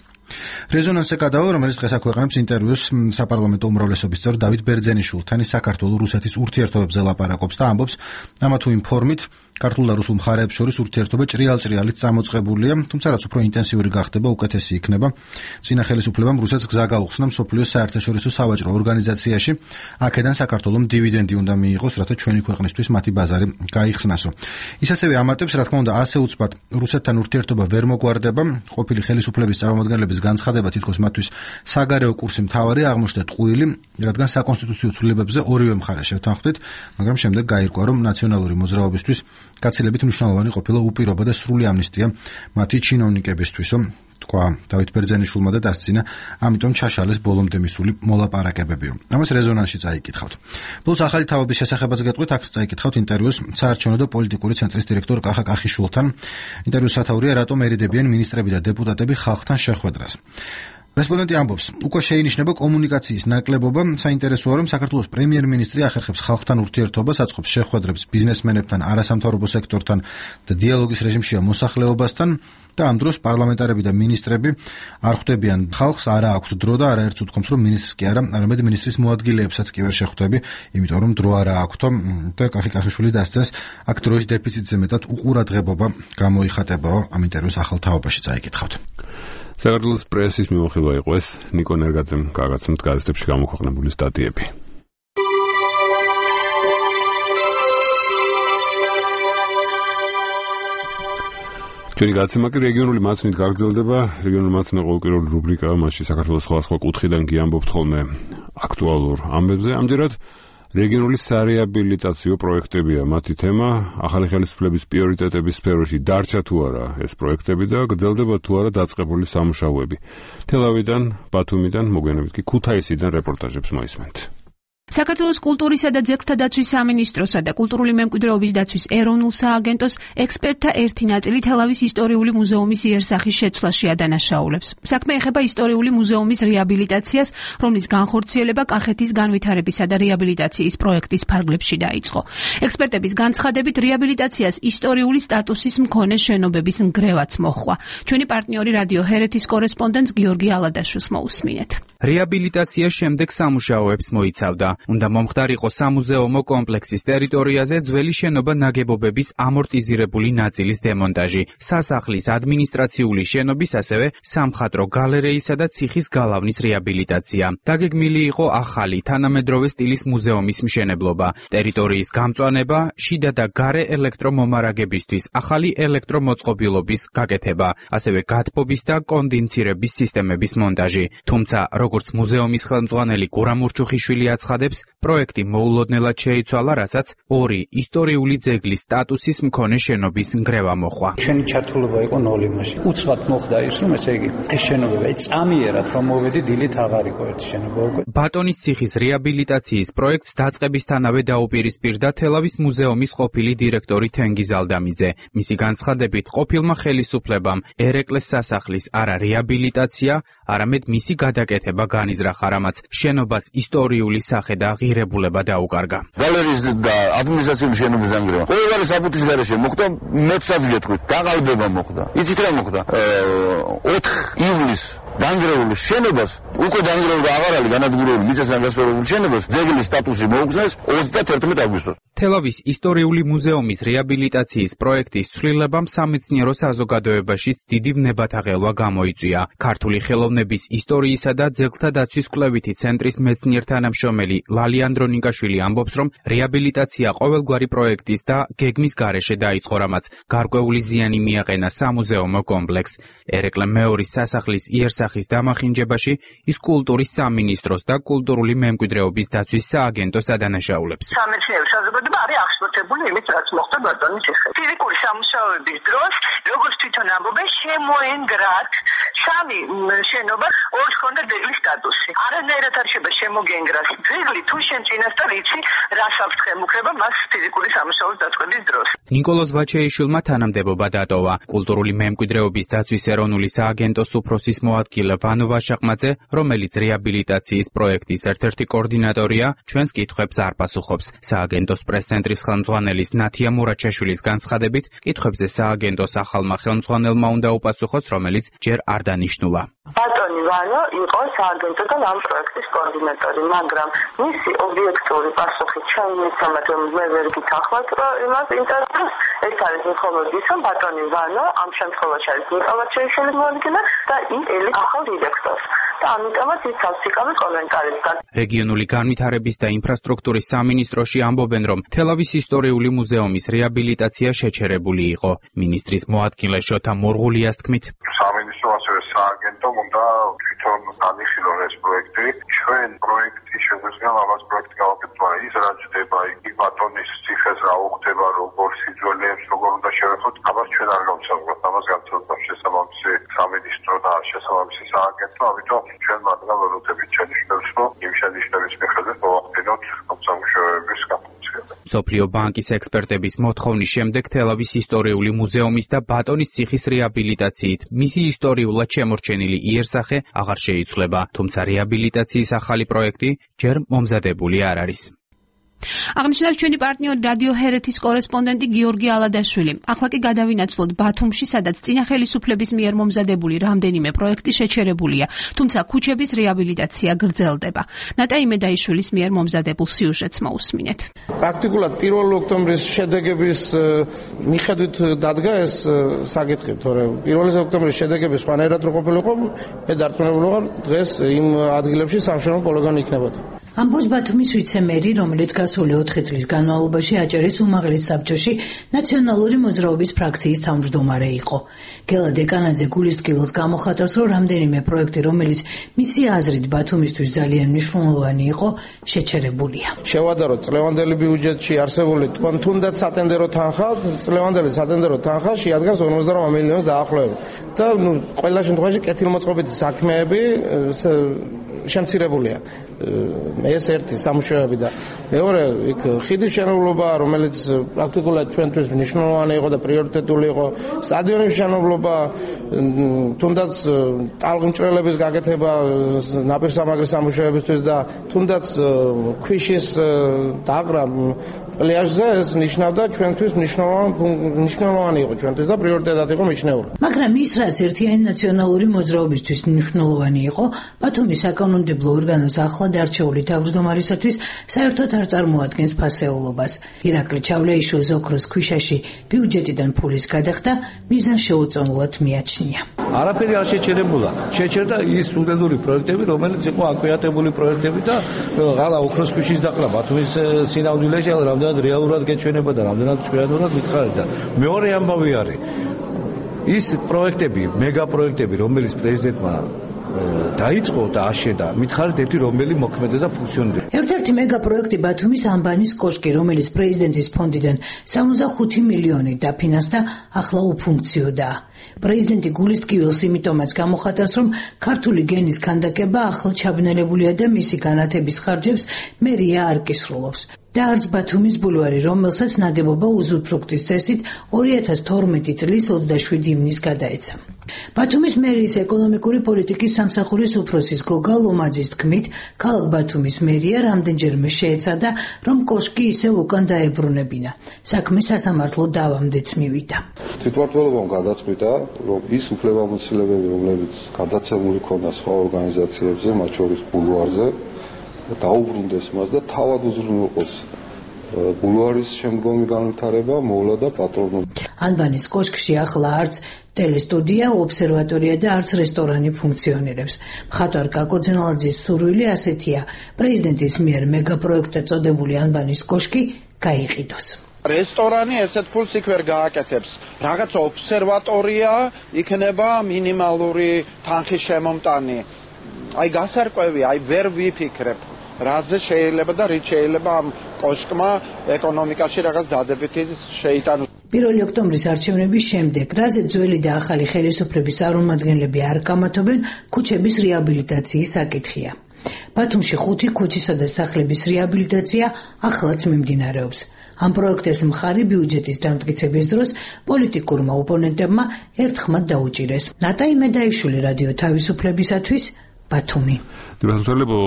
რეზონანსზე გადავალ, რომელიც დღეს აქვეყნებს ინტერვიუს საპარლამენტო უმრავლესობის წევრ დავით ბერძენიშვილთან, ის საქართველო-რუსეთის ურთიერთობებზე ლაპარაკობს და ამბობს, ამა თუ იმ ფორმით ქართულ და რუსულ მხარეებს შორის ურთიერთობა ჭრიალ-ჭრიალით წამოწყებულია, თუმცა რაც უფრო ინტენსიური გახდება, უკეთესი იქნება. წინა ხელისუფლებამ რუსეთს გზა გაუხსნა მსოფლიოს საერთაშორისო სავაჭრო ორგანიზაციაში, აქედან საქართველომ დივიდენდი უნდა მიიღოს, რათა ჩვენი ქვეყნისთვის მათი ბაზარი გაიხსნასო. ის ასევე ამატებს, რა თქმა უნდა, ასე უცბად რუსეთთან ურთიერთობა ვერ მოგვარდება, ყოფილი ხელისუფლების წარმომადგენლების განცხადება თითქოს მათთვის საგარეო კურსი მთავარი აღმოჩნდა ტყუილი, რადგან საკონსტიტუციო ცვლილებებზე ორივე მხარე შევთანხმდით, მაგრამ შემდეგ გაირკვა, რომ ნაციონალური მოძრაობისთვის გაცილებით მნიშვნელოვანი ყოფილა უპირობა და სრული ამნისტია მათი ჩინოვნიკებისთვისო, თქვა დავით ბერძენიშვილმა და დასცინა, ამიტომ ჩაშალეს ბოლომდე მისული მოლაპარაკებებიო. ამას რეზონანსში წაიკითხავთ. ბოლოს ახალი თავების შესახებაც გეტყვით, აქ წაიკითხავთ ინტერვიუს საარჩევნო და პოლიტიკური ცენტრის დირექტორ კახა კახიშვილთან. ინტერვიუს სათაურია, რატომ ერიდებიან მინისტრები და დეპუტატები ხალხთან შეხვედრას. რესპონდენტი ამბობს, უკვე შეინიშნება კომუნიკაციის ნაკლებობა, საინტერესოა, რომ საქართველოს პრემიერ-მინისტრი ახერხებს ხალხთან ურთიერთობას, აწყობს შეხვედრებს ბიზნესმენებთან, არასამთავრობო სექტორთან და დიალოგის რეჟიმშია მოსახლეობასთან და ამ დროს პარლამენტარები და მინისტრები არ ხვდებიან ხალხს, არა აქვთ დრო და არაერთს უთქვამს, რომ მინისტრს კი არა, არამედ მინისტრის მოადგილეებსაც კი ვერ შეხვდები, იმიტომ რომ დრო არა აქვთო და კახი კახიშვილი დასცეს, აქ დროის დეფიციტზე მეტად უყურადღებობა გამოიხატებაო. ამ ინტერვიუს ახალ თაობაში წაიკითხავთ. საქართველოს პრესის მიმოხილვა იყო ეს, ნიკო ნერგაძემ გაგაცნობთ გაზეთებში გამოქვეყნებული სტატიები. ჩვენი გადაცემა კი რეგიონული მაცნით გაგრძელდება. რეგიონული მაცნა ყოველკვირეული რუბრიკაა, მასში საქართველოს სხვადასხვა კუთხიდან კი ამბობთ ხოლმე აქტუალურ ამბებზე. ამჯერად რეგიონული სარეაბილიტაციო პროექტებია მათი თემა, ახალი ხელისუფლების პრიორიტეტების სფეროში დარჩა თუ არა ეს პროექტები და გრძელდება თუ არა დაწყებული სამუშაოები. თელავიდან, ბათუმიდან, მოგვიანებით კი ქუთაისიდან რეპორტაჟებს მოისმენთ. საქართველოს კულტურისა და ძეგლთა დაცვის სამინისტროსა და კულტურული მემკვიდრეობის დაცვის ეროვნულ სააგენტოს ექსპერტთა ერთი ნაწილი თელავის ისტორიული მუზეუმის იერსახის შეცვლაში ადანაშაულებს. საქმე ეხება ისტორიული მუზეუმის რეაბილიტაციას, რომლის განხორციელება კახეთის განვითარებისა და რეაბილიტაციის პროექტის ფარგლებში დაიწყო. ექსპერტების განცხადებით, რეაბილიტაციას ისტორიული სტატუსის მქონე შენობების ნგრევაც მოჰყვა. ჩვენი პარტნიორი რადიო ჰერეთის კორესპონდენტს გიორგი ალადაშვილს მოусმინეთ. რეაბილიტაცია შემდეგ სამუშაოებს მოიცავდა. უნდა მომხდარიყო სამუზეუმო კომპლექსის ტერიტორიაზე ძველი შენობა ნაგებობების ამორტიზირებული ნაწილის დემონტაჟი, სასახლის ადმინისტრაციული შენობის, ასევე სამხატვრო გალერეისა და ციხის გალავნის რეაბილიტაცია. დაგეგმილი იყო ახალი თანამედროვე სტილის მუზეუმის მშენებლობა, ტერიტორიის გამწვანება, შიდა და გარე ელექტრომომარაგებისთვის ახალი ელექტრომოწყობილობის გაკეთება, ასევე გათბობის და კონდენსირების სისტემების მონტაჟი. თუმცა, როგორც მუზეუმის ხელმძღვანელი გურამ ურჩუხიშვილი აცხადებს, პროექტი მოულოდნელად შეიცვალა, რასაც ორი ისტორიული ძეგლის სტატუსის მქონე შენობის ნგრევა მოჰყვა. ჩვენი ჩართულობა იყო ნოლ იმაში. უცბად მოხდა ის, რომ ესე იგი ეს შენობები წამიერად რომ მოვედი დილით აღარ იყო ერთი შენობა უკვე. ბატონის ციხის რეაბილიტაციის პროექტს დაწყებისთანავე დაუპირისპირდა თელავის მუზეუმის ყოფილი დირექტორი თენგიზ ალდამიძე. მისი განცხადებით, ყოფილმა ხელისუფლებამ ერეკლეს სასახლის არა რეაბილიტაცია, არამედ მისი გადაკეთება განიზრახა, რამაც შენობას ისტორიული სახე და ღირებულება დაუკარგა. გალერეის და ადმინისტრაციული შენობის დანგრევა. ყოველგვარი საფუძვლის გარეშე მოხდა, მეცაც გეტყვით, გაყალბება მოხდა. იცით რა მოხდა? ოთხ ივლისს დანგრეული შენობას, უკვე დანგრეული და აღარ არის განადგურებული მიწასთან გასწორებული შენობას, ძეგლის სტატუსი მოუგზნეს ოცდათერთმეტ აგვისტოს. თელავის ისტორიული მუზეუმის რეაბილიტაციის პროექტის ცვლილებამ სამეცნიერო საზოგადოებაშიც დიდი ვნებათაღელვა გამოიწვია. ქართული ხელოვნების ისტორიისა და ძეგლთა დაცვის კვლევითი ცენტრის მეცნიერ-თანამშრომელი ლალი ანდრონიკაშვილი ამბობს, რომ რეაბილიტაცია ყოველგვარი პროექტის და გეგმის გარეშე დაიწყო, რამაც გარკვეული ზიანი მიაყენა სამუზეუმო კომპლექსს. ერეკლე მეორის სასახლის იერსახის დამახინჯებაში ის კულტურის სამინისტროს და კულტურული მემკვიდრეობის დაცვის სააგენტოს ადანაშაულებს. სამეცნიერო საზოგადოება არის აღშფოთებული იმით, რაც მოხდა ბატონის ციხეში. ფიზიკური სამუშაოების დროს, როგორც თვითონ ამბობენ, შემოენგრათ სამი შენობა, ორს ჰქონდა ძეგლის სტატუსი. არანაირად არ შეიძლება შემოგენგრას ძეგლი, თუ შენ წინასწარ იცი, რას აქვს ხელმუქრება მას ფიზიკური სამუშაოს დაწყების დროს. ნიკოლოზ ვაჩეიშვილმა თანამდებობა დატოვა. კულტურული მემკვიდრეობის დაცვის ეროვნული სააგენტოს უფროსის მოადგილე ვანო ვაშაყმაძე, რომელიც რეაბილიტაციის პროექტის ერთ-ერთი კოორდინატორია, ჩვენს კითხვებს არ პასუხობს. სააგენტოს პრეს-ცენტრის ხელმძღვანელის ნათია მურაჩაშვილის განცხადებით, კითხვებზე სააგენტოს ახალმა ხელმძღვანელმა უნდა უპასუხოს, რომელიც ჯერ არ დანიშნულა. ბატონი ვანო იყო სააგენტოდან ამ პროექტის კოორდინატორი, მაგრამ მისი ობიექტური პასუხი ჩვენ მიცემთ, რომ მე ვერ გითხრათ, რომ იმას ინტერესებს. ეს არის მხოლოდ ის, რომ ბატონი ვანო ამ შემთხვევაში არის ნიკოლოზ ჩეიშვილის მოადგილე და ის ელი ახალ დირექტორს. და ამიტომაც ის სავსიკავი კომენტარისგან. რეგიონული განვითარების და ინფრასტრუქტურის სამინისტროში ამბობენ, რომ თელავის ისტორიული მუზეუმის რეაბილიტაცია შეჩერებული იყო. მინისტრის მოადგილე შოთა მორღულიას თქმით, სამინისტრო ასევე სააგენტომ უნდა თვითონ განიხილონ ეს პროექტი. ჩვენ პროექტის შეგვიძლია ამას პროექტი გავაკეთოთ, ის რა ჩდება, იგი ბატონის ციხეს რა უხდება, როგორ სიძველეებს, როგორ უნდა შევეხოთ, ამას ჩვენ არ გავცნობთ, ამას გავცნობთ შესაბამისი სამინისტრო და შესაბამისი სააგენტო, ამიტომ ჩვენ მათგან ველოდებით შენიშნებს, რომ იმ შენიშვნების მიხედვით მოვახდინოთ სამუშაოების განხორციელება. მსოფლიო ბანკის ექსპერტების მოთხოვნის შემდეგ თელავის ისტორიული მუზეუმის და ბატონის ციხის რეაბილიტაციით მისი ისტორიულად შემორჩენილი იერსახე აღარ შეიცვლება, თუმცა რეაბილიტაციის ახალი პროექტი ჯერ მომზადებული არ არის. აღნიშნავს ჩვენი პარტნიორი რადიო ჰერეთის კორესპონდენტი გიორგი ალადაშვილი. ახლა კი გადავინაცვლოთ ბათუმში, სადაც წინა ხელისუფლების მიერ მომზადებული რამდენიმე პროექტი შეჩერებულია, თუმცა ქუჩების რეაბილიტაცია გრძელდება. ნატაი მედაიშვილის მიერ მომზადებულ სიუჟეტს მოусმინეთ. პრაქტიკულად პირველი ოქტომბრის შედეგების მიხედვით დადგა ეს საკითხი, თორემ პირველი ოქტომბრის შედეგები სხვანაირად რო ყოფილიყო, მე დარწმუნებული ვარ, დღეს იმ ადგილებში სამშენებლო პოლიგონი იქნებოდა. ამბობს ბათუმის ვიცე-მერი, რომელიც გასული ოთხი წლის განმავლობაში აჭარის უმაღლეს საბჭოში ნაციონალური მოძრაობის ფრაქციის თავმჯდომარე იყო. გელა დეკანაძე გულისტკივილს გამოხატავს, რომ რამდენიმე პროექტი, რომელიც მისი აზრით ბათუმისთვის ძალიან მნიშვნელოვანი იყო, შეჩერებულია. შევადაროთ წლევანდელი ბიუჯეტში არსებული თუნდაც სატენდერო თანხა, წლევანდელი სატენდერო თანხა შეადგენს ორმოცდაოთხ მილიონს დაახლოებით. და ნუ ყველა შემთხვევაში კეთილმოწყობითი საქმეები შემცირებულია. ეს ერთი სამუშაოები და მეორე იქ ხიდის მშენებლობა, რომელიც პრაქტიკულად ჩვენთვის მნიშვნელოვანი იყო და პრიორიტეტული იყო, სტადიონის მშენებლობა, თუნდაც ტალღმჭრელების გაკეთება ნაპირსამაგრის სამუშაოებისთვის და თუნდაც ქვიშის დაღრა პლაჟზე, ეს ნიშნავდა ჩვენთვის მნიშვნელოვანი იყო ჩვენთვის და პრიორიტეტად იყო მიჩნეული. მაგრამ ის რაც ერთიანი ნაციონალური მოძრაობისთვის მნიშვნელოვანი იყო, ბათუმის საკანონმდებლო ორგანოს ახლად არჩეული თავმჯდომარისათვის საერთოდ არ წარმოადგენს ფასეულობას. ირაკლი ჩავლეიშვილს ოქროს ქვიშაში ბიუჯეტიდან ფულის გადახდა მიზანს შეუწონლად მიაჩნია. არაფერი არ შეჩერებულა. შეჩერდა ის უდიდური პროექტები, რომელიც იყო აკვიატებული პროექტები და ღალა ოქროს ქვიშის დაყრა ბათუმის სინამდვილეში რამდენად რეალურად გეჩვენება და რამდენად ჭკვიანურად მითხარდა. მეორე ამბავი არის ის პროექტები, მეგა პროექტები, რომელიც პრეზიდენტმა დაიწყო და აშენდა, მითხარით ერთი რომელი მოქმედა და ფუნქციონირებს. ერთ-ერთი მეგა პროექტი ბათუმის ამბანის კოშკი, რომელიც პრეზიდენტის ფონდიდან სამოცდახუთი მილიონი დაფინანსდა, ახლა უფუნქციოდაა. პრეზიდენტი გულისტკივილს იმიტომაც გამოხატავს, რომ ქართული გენის ქანდაკება ახლა ჩაბნელებულია და მისი განათების ხარჯებს მერია არ კისრულობს. და არც ბათუმის ბულვარი, რომელსაც ნაგებობა უზურპრუქტის წესით ორი ათას თორმეტი წლის ოცდაშვიდი ივნის გადაეცა. ბათუმის მერიის ეკონომიკური პოლიტიკის სამსახურის უფროსის გოგა ლომაძის თქმით, ქალაქ ბათუმის მერია რამდენჯერმე შეეცადა, რომ კოშკი ისევ უკან დაებრუნებინა. საქმე სასამართლო დავამდეც მივიდა. თვითმმართველობამ გადაწყვიტა, რომ ის უფლებამოსილებები, რომლებიც გადაცემული ქონდა სხვა ორგანიზაციებზე, მათ შორის ბულვარზე, დაუბრუნდეს მას და თავად უზრუნველყოს ბულვარის შემდგომი განვითარება, მოვლა და პატრონობა. ანბანის კოშკში ახლა არც ტელესტუდია, ობსერვატორია და არც რესტორანი ფუნქციონირებს. მხატვარ კაკო ძენალაძის სურვილი ასეთია: პრეზიდენტის მიერ მეგაპროექტად წოდებული ანბანის კოშკი გაიყიდოს. რესტორანი ესეთ ფულს იქ ვერ გააკეთებს. რაღაცა ობსერვატორია იქნება მინიმალური თანხის შემომტანი. აი გასარკვევია, აი ვერ ვიფიქრებ. რაზე შეიძლება და რით შეიძლება ამ კოშკმა ეკონომიკაში რაღაც დადებითი შეიტანოს. პირველი ოქტომბრის არჩევნების შემდეგ, რაზე ძველი და ახალი ხელისუფლების წარმომადგენლები არ გამათობენ, ქუჩების რეაბილიტაციის საკითხია. ბათუმში ხუთი ქუჩისა და სახლების რეაბილიტაცია ახლაც მიმდინარეობს. ამ პროექტის მხარი ბიუჯეტის დამტკიცების დროს პოლიტიკურმა ოპონენტებმა ერთხმად დაუჭირეს. ნატაი მედაიშვილი, რადიო თავისუფლებისათვის, ბათუმი. დიახსოლებო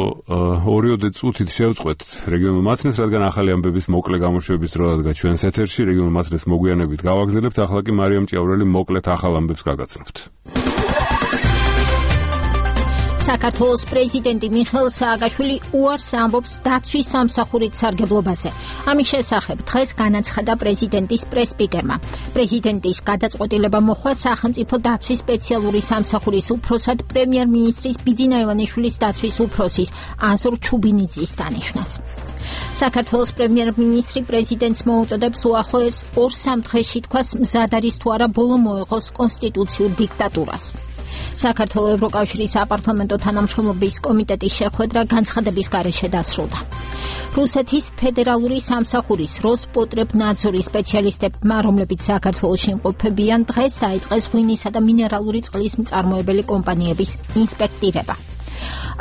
ორიოდე წუთით შევწყვეთ რეგიონულ მაცნეს, რადგან ახალი ამბების მოკლე გამოშვების დრო დადგა ჩვენს ეთერში. რეგიონულ მაცნეს მოგვიანებით გავაგზავნებთ, ახლა კი მარიამ ჭიაურელი მოკლედ ახალ ამბებს გაგაცნობთ. საქართველოს პრეზიდენტი მიხეილ სააკაშვილი უარს ამბობს დაცვის სამსახურით სარგებლობაზე. ამის შესახებ დღეს განაცხადა პრეზიდენტის პრესსპიკერმა. პრეზიდენტის გადაწყვეტილება მოხდა სახელმწიფო დაცვის სპეციალური სამსახურის უფროსად პრემიერ-მინისტრის ბიძინა ივანიშვილის დაცვის უფროსის აზურ ჩუბინიძის დანიშვნას. საქართველოს პრემიერ-მინისტრი პრეზიდენტს მოუწოდებს უახლოეს ორ-სამ დღეში თქვას მზად არის თუ არა ბოლო მოეღოს კონსტიტუციურ დიქტატურას. საქართველოს ევროკავშირის საპარლამენტო თანამშრომლობის კომიტეტის შეხვედრა განცხადების გარეშე დასრულდა. რუსეთის ფედერალური სამსახურის როსპოტრებნადზორის სპეციალისტებმა, რომლებიც საქართველოში იმყოფებიან, დღეს დაიწყეს ღვინისა და მინერალური წყლის მწარმოებელი კომპანიების ინსპექტირება.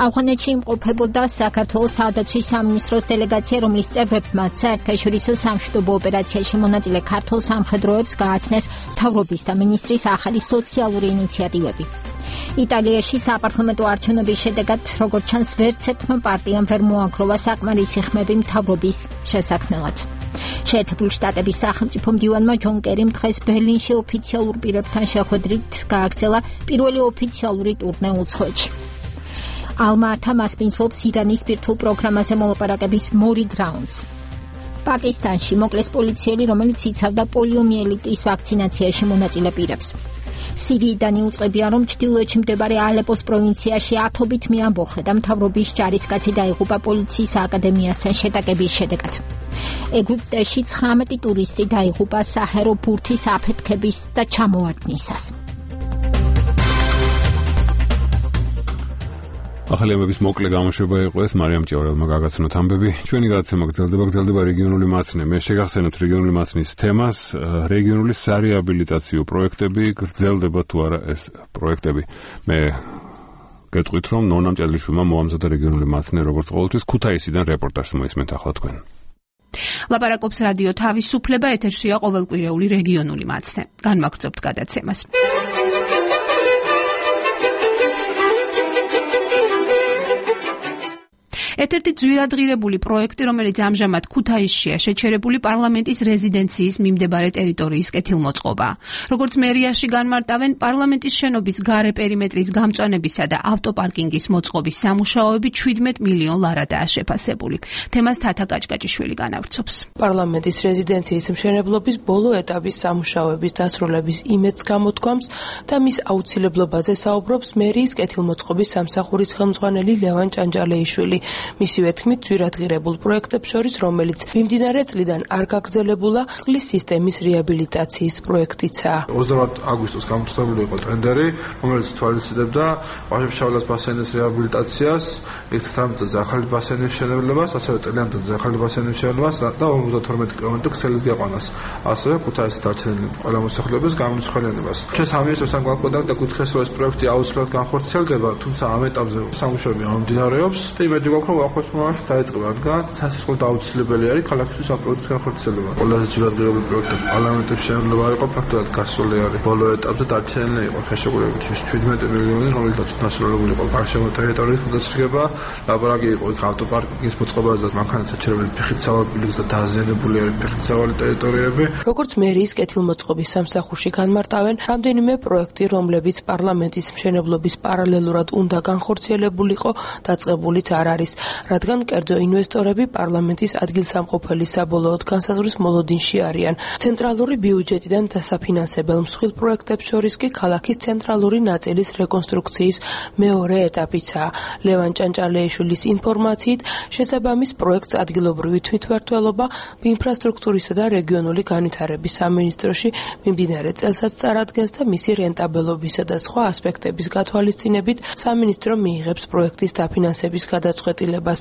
ავღანეთში იმყოფებოდა საქართველოს თავდაცვის სამინისტროს დელეგაცია, რომლის წევრებმა საერთაშორისო სამშვიდობო ოპერაციაში მონაწილე ქართულ სამხედროებს გააცნეს მთავრობის და მინისტრის ახალი სოციალური ინიციატივები. იტალიაში საპარლამენტო არჩევნების შედეგად, როგორც ჩანს, ვერც ერთმა პარტიამ ვერ მოაგროვა საკმარისი ხმები მთავრობის შესაქმნელად. შეერთებული შტატების სახელმწიფო მდივანმა ჯონ კერიმ დღეს ბერლინში ოფიციალურ პირებთან შეხვედრით გააგრძელა პირველი ოფიციალური ტურნე უცხოეთში. ალმა-ატა მასპინძლობს ირანის ბირთვულ პროგრამაზე მოლაპარაკების მორიგ რაუნდს. პაკისტანში მოკლეს პოლიციელი, რომელიც იცავდა პოლიომიელიტის ვაქცინაციაში მონაწილე პირებს. სირიიდან იუწყებიან, რომ ჩრდილოეთში მდებარე ალეპოს პროვინციაში ათობით მეამბოხე და მთავრობის ჯარისკაცი დაიღუპა პოლიციის აკადემიასთან შეტაკების შედეგად. ეგვიპტეში ცხრამეტი ტურისტი დაიღუპა საჰერო ბურთის აფეთქების და ჩამოვარდნისას. ახალი ამბების მოკლე გამოშვება იყო ეს. მარიამ ჭიაურელმა გაგაცნოთ ამბები. ჩვენი გადაცემა გრძელდება, გრძელდება რეგიონული მაცნე. მე შეგახსენებთ რეგიონული მაცნის თემას, რეგიონული სარეაბილიტაციო პროექტები, გრძელდება თუ არა ეს პროექტები. მე გეტყვით, რომ ნონა მჭედლიშვილმა მოამზადა რეგიონული მაცნე, როგორც ყოველთვის ქუთაისიდან რეპორტაჟს მოისმენთ ახლა თქვენ. ლაპარაკობს რადიო თავისუფლება, ეთერშია ყოველკვირეული რეგიონული მაცნე. განმაგრძობთ გადაცემას. ერთ-ერთი ძვირადღირებული პროექტი, რომელიც ამჟამად ქუთაისშია შეჩერებული, პარლამენტის რეზიდენციის მიმდებარე ტერიტორიის კეთილმოწყობა. როგორც მერიაში განმარტავენ, პარლამენტის შენობის გარე პერიმეტრის გამწვანებისა და ავტოპარკინგის მოწყობის სამუშაოები შვიდმეტ მილიონ ლარადაა შეფასებული. თემას თათა კაჭკაჭიშვილი განავრცობს. პარლამენტის რეზიდენციის მშენებლობის ბოლო ეტაპის სამუშაოების დასრულების იმედს გამოთქვამს და მის აუცილებლობაზე საუბრობს მერიის კეთილმოწყობის სამსახურის ხელმძღვანელი ლევან ჭანჭალეიშვილი. მისივე თქმით, ძვირადღირებულ პროექტებს შორის, რომელიც მიმდინარე წლიდან არ გაგრძელებულა, წყლის სისტემის რეაბილიტაციის პროექტიცაა. ოცდაოთხ აგვისტოს გამოცდებული იყო ტენდერი, რომელიც თვალისწინებდა ვაჟა-ფშაველას ბასენის რეაბილიტაციას, ერთადერთი ახალი ბასენის მშენებლებას, ასევე წელიანად ახალი ბასენის მშენებლებას და ორმოცდათორმეტი კილომეტრი ქსელის გიყვანას, ასევე ქუთაისის დარჩენილი ყველა მოსახლეობის გამომცხენებლებას. ჩვენ სამინისტროსთან გვაკვდა და გითხეს, რომ ეს პროექტი აუცილებლად განხორციელდება, თუმცა ამ ეტაპზე სამუშაოები მიმდინარეობს და იმედი გვაქვს, რომ ახლა მომავალში დაიწყება, რადგან სასწავლო დაუცილებელი არის ქალაქისთვის ამ პროექტის განხორციელება. ყველაზე ძვირადღირებული პროექტი პარლამენტის მშენებლობა იყო, ფაქტობრივად გასული არის. ბოლო ეტაპზე დარჩენილი იყო ხელშეკრულებით შვიდმეტი მილიონი, რომელიც დასრულებული იყო გარშემო ტერიტორიის მოდასრიგება, ლაბორატორია იყო იქ ავტოპარკინგის მოწყობაზე და მანქანა საჩერებელი ფეხით სავალბილოს და დაზიანებული არის ფეხით სავალი ტერიტორიები. როგორც მერიის კეთილმოწყობის სამსახურში განმარტავენ, რამდენიმე პროექტი, რომლებიც პარლამენტის მშენებლობის პარალელურად უნდა განხორციელებულიყო, დაწყებულიც არ არის. რადგან კერძო ინვესტორები პარლამენტის ადგილსამყოფელი საბოლოოდ განსაზღვრის მოლოდინში არიან. ცენტრალური ბიუჯეტიდან დასაფინანსებელ მსხვილ პროექტებს შორის კი ქალაქის ცენტრალური ნაწილის რეკონსტრუქციის მეორე ეტაპიცაა. ლევან ჭანჭალეიშვილის ინფორმაციით, შესაბამის პროექტს ადგილობრივი თვითმმართველობა, ინფრასტრუქტურისა და რეგიონული განვითარების სამინისტროში მიმდინარე წელსაც წარადგენს და მისი რენტაბელობისა და სხვა ასპექტების გათვალისწინებით სამინისტრო მიიღებს პროექტის დაფინანსების გადაწყვეტილებას.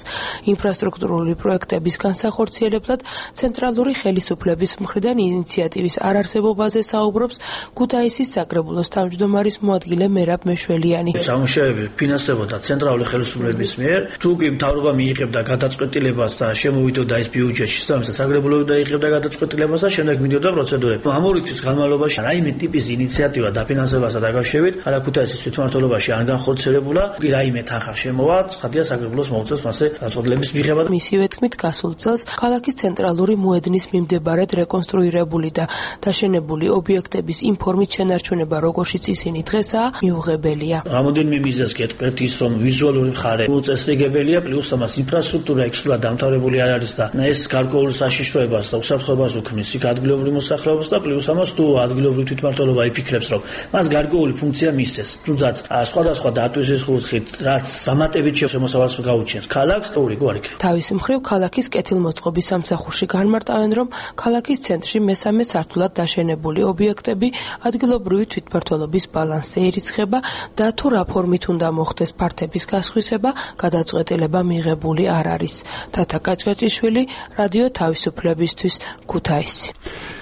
ინფრასტრუქტურული პროექტების განსახორციელებლად ცენტრალური ხელისუფლების მხრიდან ინიციატივის არარსებობაზე საუბრობს ქუთაისის საკრებულოს თავმჯდომარის მოადგილე მერაბ მეშველიანი. სამუშაოები ფინანსდებოდა ცენტრალური ხელისუფლების მიერ, თუ კი მთავრობა მიიღებდა გადაწყვეტილებას და შემოვიდოდა ეს ბიუჯეტში, შესაბამისად საკრებულოები დაიღებდა გადაწყვეტილებას და შემდეგ მიდიოდა პროცედურები. ამ ორი თვის განმავლობაში რაიმე ტიპის ინიციატივა დაფინანსებასთან დაკავშირებით ქალაქ ქუთაისის თვითმმართველობაში არ განხორციელებულა, კი რაიმე თანხა შემოვა, ცხადია საკრებულოს მოუწევს მასე გადაწყვეტილების მიღება. მისივე თქმით, გასულ წელს ქალაქის ცენტრალური მოედნის მიმდებარედ რეკონსტრუირებული და დაშენებული ობიექტების ინფორმით შენარჩუნება, როგორშიც ისინი დღესაა, მიუღებელია. რამოდენიმე მიზეზს გეტყვით ის, რომ ვიზუალური მხარე უწესრიგებელია, პლუს ამას ინფრასტრუქტურა ექსკლუზიურად დამთავრებული არ არის და ეს გარკვეულ საშიშროებას და უსაფრთხოებას უქმნის იქ ადგილობრივ მოსახლეობას და პლუს ამას თუ ადგილობრივი თვითმმართველობა იფიქრებს, რომ მას გარკვეული ფუნქცია მისცეს, თუმცაც სხვადასხვა დატვირთვის კუთხით, რაც დამატებით შემოსავალს გაუჩენს ქალაქს, თორიკო არ იქნება. თავის მხრივ ქალაქის კეთილმოწყობის სამსახურში განმარტავენ, რომ ქალაქის ცენტრში მესამე სართულად დაშენებული ობიექტები ადგილობრივი თვითმმართველობის ბალანსზე ირიცხება და თუ რა ფორმით უნდა მოხდეს ფართების გასხვისება, გადაწყვეტილება მიღებული არ არის. თათა კაჭკაჭიშვილი, რადიო თავისუფლებისთვის, ქუთაისი.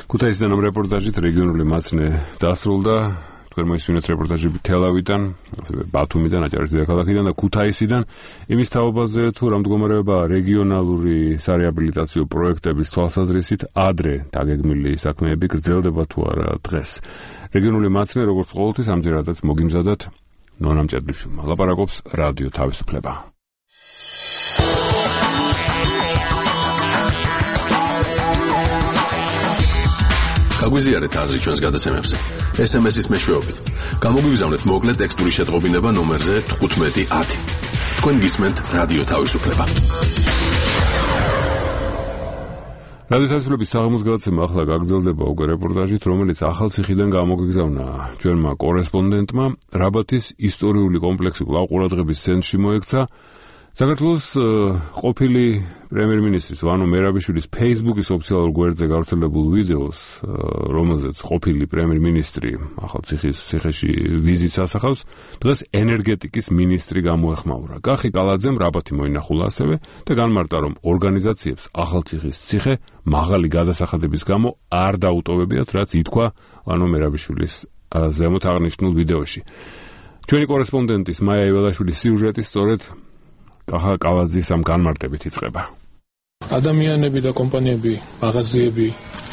ქუთაისიდან ამ რეპორტაჟით რეგიონული მაცნე დასრულდა. თქვენ მოისმინეთ რეპორტაჟები თელავიდან, ასევე ბათუმიდან, აჭარის დედაქალაქიდან და ქუთაისიდან. იმის თაობაზე თუ რა მდგომარეობაა რეგიონალური სარეაბილიტაციო პროექტების თვალსაზრისით, ადრე დაგეგმილი საქმეები გრძელდება თუ არა დღეს. რეგიონული მაცნე, როგორც ყოველთვის, ამჯერადაც მოგიმზადათ ნონა მჭედლიშვილმა. ლაპარაკობს რადიო თავისუფლება. გაგვიზიარეთ აზრი ჩვენს გადაცემებზე. ეს ემ ეს-ის მეშვეობით. გამოგვიგზავნეთ მოკლე ტექსტური შეტყობინება ნომერზე თხუთმეტი ათი. თქვენ გისმენთ რადიო თავისუფლება. რადიოთელესების საღამოს გადაცემა ახლა გაგრძელდება უკვე რეპორტაჟით, რომელიც ახალციხიდან გამოგიგზავნა ჩვენმა კორესპონდენტმა. რაბათის ისტორიული კომპლექსი კვლავ ყურადღების ცენტრში მოექცა. საქართველოს ყოფილი პრემიერ-მინისტრის ვანო მერაბიშვილის Facebook-ის ოფიციალურ გვერდზე გავრცელებულ ვიდეოს, რომელზეც ყოფილი პრემიერ-მინისტრი ახალციხის ციხეში ვიზიტს ასახავს, დღეს ენერგეტიკის მინისტრი გამოეხმაურა. კახი კალაძემ რაბათი მოინახულა ასევე და განმარტა, რომ ორგანიზაციებს ახალციხის ციხე მაღალი გადასახადების გამო არ დაუტოვებიათ, რაც ითქვა ვანო მერაბიშვილის ზემოთ აღნიშნულ ვიდეოში. ჩვენი კორესპონდენტის მაია იველაშვილის სიუჟეტი სწორედ კახა კალაძის ამ განმარტებით იწყება. ადამიანები და კომპანიები, მაღაზიები,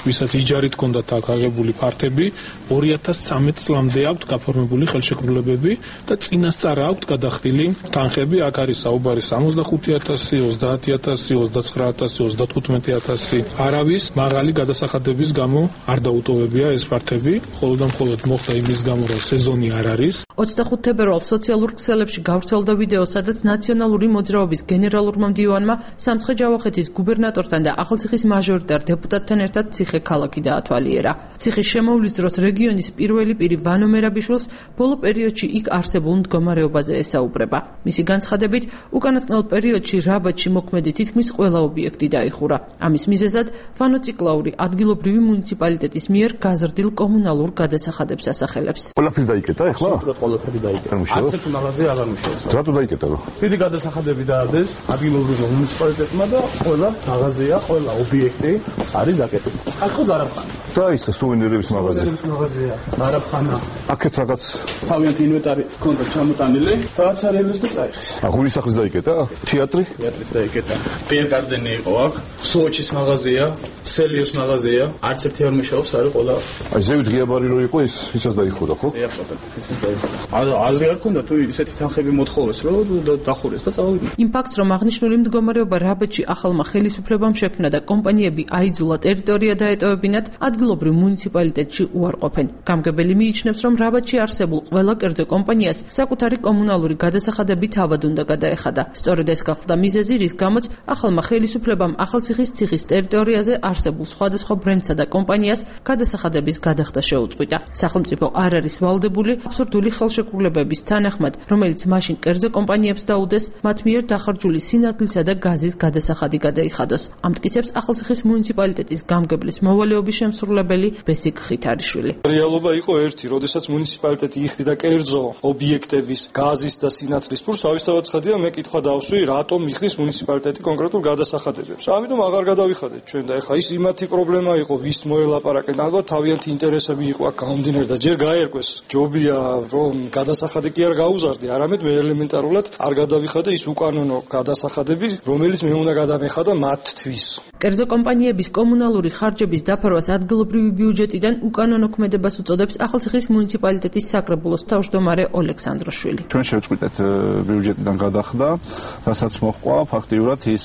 ვისაც იჯარით ჰქონდათ აქ აღებული ფართები, ორი ათას წამეტ წლამდე აქვთ გაფორმებული ხელშეკრულებები და წინასწარ აქვთ გადახდილი თანხები. აქ არის საუბარი სამოცდახუთი ათასი, ოცდაათი ათასი, ოცდაცხრა ათასი, ოცდათხუთმეტი ათასი. არავის მაღალი გადასახადების გამო არ დაუტოვებია ეს ფართები, მხოლოდ და მხოლოდ მოხდა იმის გამო, რომ სეზონი არ არის. ოცდახუთი თებერვალს სოციალურ ქსელებში გავრცელდა ვიდეო, სადაც ნაციონალური მოძრაობის გენერალურმა მდივანმა სამცხე-ჯავახეთის გუბერნატორთან და ახალციხის მაჟორიტარ დეპუტატთან ერთად ციხე ქალაქი დაათვალიერა. ციხის შემოვლის დროს რეგიონის პირველი პირი ვანო მერაბიშვილს ბოლო პერიოდში იქ არსებულ მდგომარეობაზე ესაუბრება. მისი განცხადებით, უკანასკნელ პერიოდში რაბათში მოქმედი თითქმის ყველა ობიექტი დაიხურა. ამის მიზეზად ვანო ციკლაური ადგილობრივი მუნიციპალიტეტის მიერ გაზრდილ კომუნალურ გადასახადებს ასახელებს. ყველაფერი დაიკეტა ახლა? ყველაფერი დაიკეტა. არც ერთ მაღაზია არ ამუშავებს. რატო დაიკეტა? დიდი გადასახადები დაადეს ადგილობრივ მუნიციპალიტეტმა და ყველა მაღაზია, ყველა ობიექტი არის დაკეტილი. აქ ზარაფხანა. და ის სუვენირების მაღაზია. სუვენირების მაღაზია, ზარაფხანა. აქეთ რაღაც თავიანთი ინვენტარი ჰქონდა ჩამოტანილი, რაც არის და წაიხეს. აღული სახლის დაიკეტა? თეატრი? თეატრის დაიკეტა. პიერგარდენი იყო აქ, სოჩის მაღაზია, სელიოს მაღაზია, არც ერთი არ მუშაობს, არის ყველა. აი ზევით ღიაბარი რო იყო ის, ისაც დაიხურა, ხო? ეხლა ისიც დაიხურა. აზრი არ ქონდა თუ ისეთი თანხები მოთხოვეს, რომ დახურეს და წავიდნენ. იმ ფაქტს, რომ აღნიშნული მდგომარეობა რაბათში ახალმა ხელისუფლებამ შექმნა და კომპანიები აიძულა ტერიტორია დაეტოვებინათ, ადგილობრივ მუნიციპალიტეტში უარყოფენ. გამგებელი მიიჩნევს, რომ რაბათში არსებულ ყველა კერძო კომპანიას საკუთარი კომუნალური გადასახადები თავად უნდა გადაეხადა. სწორედ ეს გახდა მიზეზი, რის გამოც ახალმა ხელისუფლებამ ახალციხის ციხის ტერიტორიაზე არსებულ სხვადასხვა ბრენდსა და კომპანიას გადასახადების გადახდა შეუწყვიტა. სახელმწიფო არ არის ვალდებული აბსურდული ხელშეკრულებების თანახმად, რომელიც მაშინ კერძო კომპანიებს დაუდეს მათ მიერ დახარჯული სინათლისა და გაზის გადასახადი გადაიხადოს. ამტკიცებს ახალციხის მუნიციპალიტეტის გამგებლის მოვალეობის შემსრულებელი ბესიკ ხითარიშვილი. რეალობა იყო ერთი, როდესაც მუნიციპალიტეტი იხდიდა კერძო ობიექტების გაზის და სინათლის ფურს, თავისთავად ცხადია, მე კითხვა დავსვი, რატომ იხდის მუნიციპალიტეტი კონკრეტულ გადასახადებებს. ამიტომ აღარ გადავიხადეთ ჩვენ და ეხლა ის იმათი პრობლემა იყო, ვის მოელაპარაკეთ, ალბათ თავიანთი ინტერესები იყო აქ გამომდინარე და ჯერ გაერკვეს. ჯობია, რომ გადასახადი კი არ გაუზარდე, არამედ მე ელემენტარულად არ გადავიხადე ის უკანონო გადასახადები, რომელიც მე უნდა გადამეხადა მათთვის. კერძო კომპანიების კომუნალური ხარჯების დაფარვას ადგილობრივი ბიუჯეტიდან უკანონო ქმედებას უწოდებს ახალციხის მუნიციპალიტეტის საკრებულოს თავმჯდომარე ოლექსანდროშვილი. ჩვენ შევწყვიტეთ ბიუჯეტიდან გადახდა, რასაც მოჰყვა ფაქტიურად ის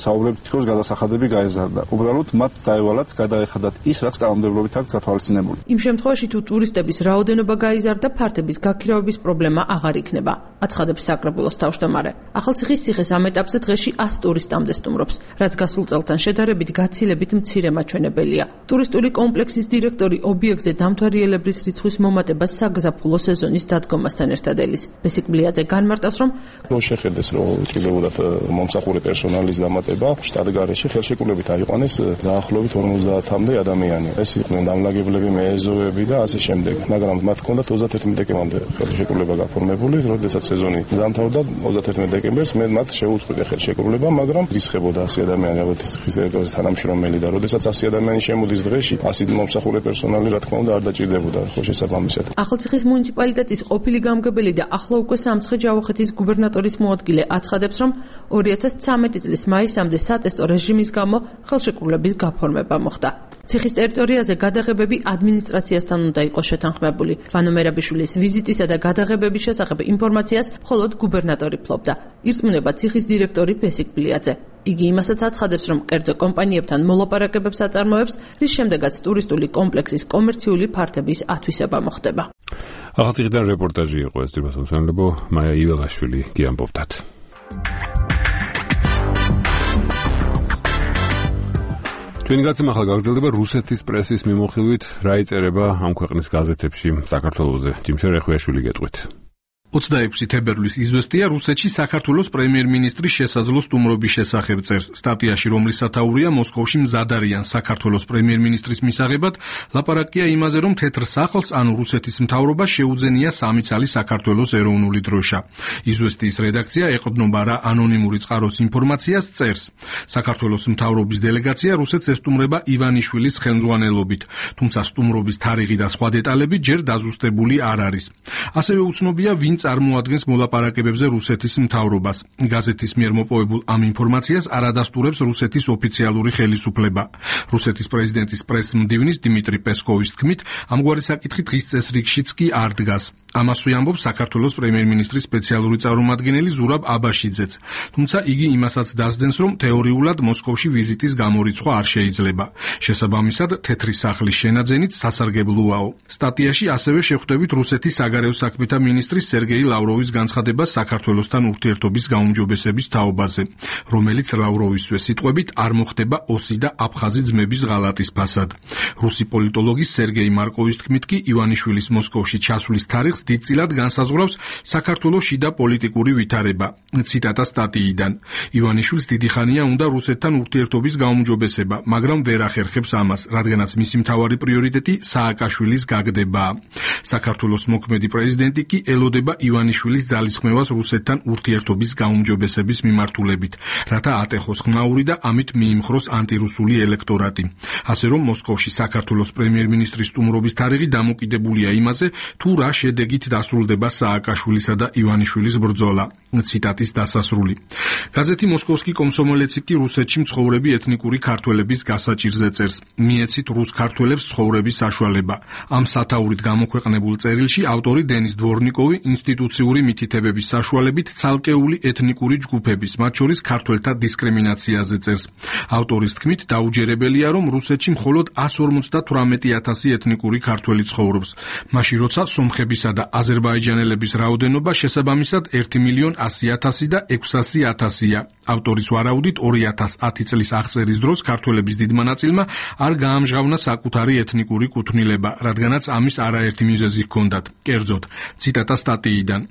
საუბრები თითქოს გადასახადები გაეზარდა. უბრალოდ მათ დაევალათ გადაეხადათ ის, რაც კანონმდებლობით აქვს გათვალისწინებული. იმ შემთხვევაში თუ ტურისტების რაოდენობა გაიზარდა, ფართების გაქირავების პრობლემა აღარ იქნება, აცხადებს საკრებულოს თავმჯდომარე. ახალციხის ციხეს ამ ეტაპზე დღეში ას ტურისტამდე სტუმრობს, რაც გასულ წელთან შედარებით გაცილებით მცირე მაჩვენებელია. ტურისტული კომპლექსის დირექტორი ობიექტზე დამთვალიერებლის რიცხვის მომატებას საგზაფხულო სეზონის დადგომასთან ერთად ელის. ბესიკ ბლიაძე განმარტავს, რომ რო შეხედეს, რომ კიდევაც მომსახურე პერსონალის დამატება შტატგარეში ხელშეკრულებით აიყვანეს დაახლოებით ორმოცდაათამდე ადამიანი. ეს იყვნენ დამლაგებლები, მეეზოები და ასე შემდეგ. მაგრამ მათ ჰქონდათ ოცდაერთი დეკემბრამდე ხელშეკრულება გაფორმებული, როდესაც სეზონი დამთავრდა ოცდაერთი დეკემბერს მე მათ შეუწყვიტე ხელშეკრულება, მაგრამ რისხებოდა ასი ადამიანი ალბათ ციხის ტერიტორიაზე თანამშრომელი და როდესაც ასი ადამიანი შემოდის დღეში, ასი მომსახურე პერსონალი რა თქმა უნდა არ დაჭირდებოდა ხო შესაბამისად. ახალციხის მუნიციპალიტეტის ყოფილი გამგებელი და ახლა უკვე სამცხე-ჯავახეთის გუბერნატორის მოადგილე აცხადებს, რომ ორი ათას ცამეტი წლის მაისამდე სატესტო რეჟიმის გამო ხელშეკრულების გაფორმება მოხდა. ციხის ტერიტორიაზე გადაღებები ადმინისტრაციასთან უნდა იყოს შეთანხმებული. ვანო მერაბიშვილის ვიზიტისა და გადაღებების შესახებ ინფორმაციას მხოლოდ გუბერნატორი ფლობდა. ირწმუნება ციხის დირექტორი ბესიკ ბლიაძე. იგი იმასაც აცხადებს, რომ კერძო კომპანიებთან მოლაპარაკებებს აწარმოებს, რის შემდეგაც ტურისტული კომპლექსის კომერციული ფართების ათვისება მოხდება. ახალციხიდან რეპორტაჟი იყო ეს თბილისელო მაია იველაშვილი ჩვენი გაცემა ახლა გაგრძელდება რუსეთის პრესის მიმოხილვით, რა იწერება ამ ქვეყნის გაზეთებში საქართველოზე. ჯიმშე რეხვიაშვილი გეტყვით. ოცდაექვსი თებერვლის იზვესტია რუსეთში საქართველოს პრემიერ-მინისტრის შესაძლო სტუმრობის შესახებ წერს. სტატიაში, რომლის სათაურია მოსკოვში მზად არიან საქართველოს პრემიერ-მინისტრის მისაღებად, ლაპარაკია იმაზე, რომ თეთრ სახლს, ანუ რუსეთის მთავრობას შეუძენია სამი ცალი საქართველოს ეროვნული დროშა. იზვესტიის რედაქცია ეყრდნობა რა ანონიმური წყაროს ინფორმაციას წერს. საქართველოს მთავრობის დელეგაცია რუსეთს ესტუმრება ივანიშვილის ხელმძღვანელობით, თუმცა სტუმრობის თარიღი და სხვა დეტალები ჯერ დაზუსტებული არ არის. ასევე უცნობია, ვინ წარმოადგენს მოლაპარაკებებზე რუსეთის მთავრობას. გაზეთის მიერ მოპოვებულ ამ ინფორმაციას არ ადასტურებს რუსეთის ოფიციალური ხელისუფლება. რუსეთის პრეზიდენტის პრეს-მდივნის დიმიტრი პესკოვის თქმით, ამგვარი საკითხი დღის წესრიგშიც კი არ დგას. ამასვე ამბობს საქართველოს პრემიერ-მინისტრის სპეციალური წარმომადგენელი ზურაბ აბაშიძეც. თუმცა იგი იმასაც დასდენს, რომ თეორიულად მოსკოვში ვიზიტის გამორიცხვა არ შეიძლება. შესაბამისად, თეთრი სახლის შენაძენით სასარგებლოაო. სტატიაში ასევე შეხვდებით რუსეთის საგარეო საქმეთა მინისტრის სერგეი ლავროვის განცხადებას საქართველოსთან ურთიერთობის გაუმჯობესების თაობაზე, რომელიც ლავროვისვე სიტყვებით არ მოხდება ოსი და აფხაზი ძმების ღალატის ფასად. რუსი პოლიტოლოგის სერგეი მარკოვის თქმით კი ივანიშვილის მოსკოვში ჩასვლის თარიღს დიდწილად განსაზღვრავს საქართველოს შიდა პოლიტიკური ვითარება. ციტატა სტატიიდან. ივანიშვილს დიდი ხანია უნდა რუსეთთან ურთიერთობის გაუმჯობესება, მაგრამ ვერ ახერხებს ამას, რადგანაც მისი მთავარი პრიორიტეტი სააკაშვილის გაგდებაა. საქართველოს მოქმედი პრეზიდენტი კი ელოდება ივანიშვილის ძალისხმევას რუსეთთან ურთიერთობის გაუმჯობესების მიმართულებით, რათა ატეხოს ხმაური და ამით მიიმხროს ანტირუსული ელექტორატი. ასე რომ მოსკოვში საქართველოს პრემიერ-მინისტრის სტუმრობის თარიღი დამოკიდებულია იმაზე, თუ რა შედეგით დასრულდება სააკაშვილისა და ივანიშვილის ბრძოლა. ციტატის დასასრული. გაზეთი მოსკოვსკი კომსომოლეცი კი რუსეთში მცხოვრები ეთნიკური ქართველების გასაჭირზე წერს. მიეცით რუს ქართველებს ცხოვრების საშუალება. ამ სათაურით გამოქვეყნებულ წერილში ავტორი დენის დვორნიკოვი ინსტიტუციური მითითებების საშუალებით ცალკეული ეთნიკური ჯგუფების, მათ შორის ქართველთა დისკრიმინაციაზე წერს. ავტორის თქმით, დაუჯერებელია, რომ რუსეთში მხოლოდ ასი ორმოცდათვრამეტი ათასი ეთნიკური ქართველი ცხოვრობს, მაშინ როცა სომხებისა და აზერბაიჯანელების რაოდენობა შესაბამისად ერთი მილიონი ასი ათასი და ექვსასი ათასია. ავტორის ვარაუდით ორი ათას ათი წლის აღწერის დროს ქართველების დიდმა ნაწილმა არ გაამჟღავნა საკუთარი ეთნიკური კუთვნილება, რადგანაც ამის არაერთი მიზეზი ჰქონდათ. კერძოდ, ციტატა სტატიიდან.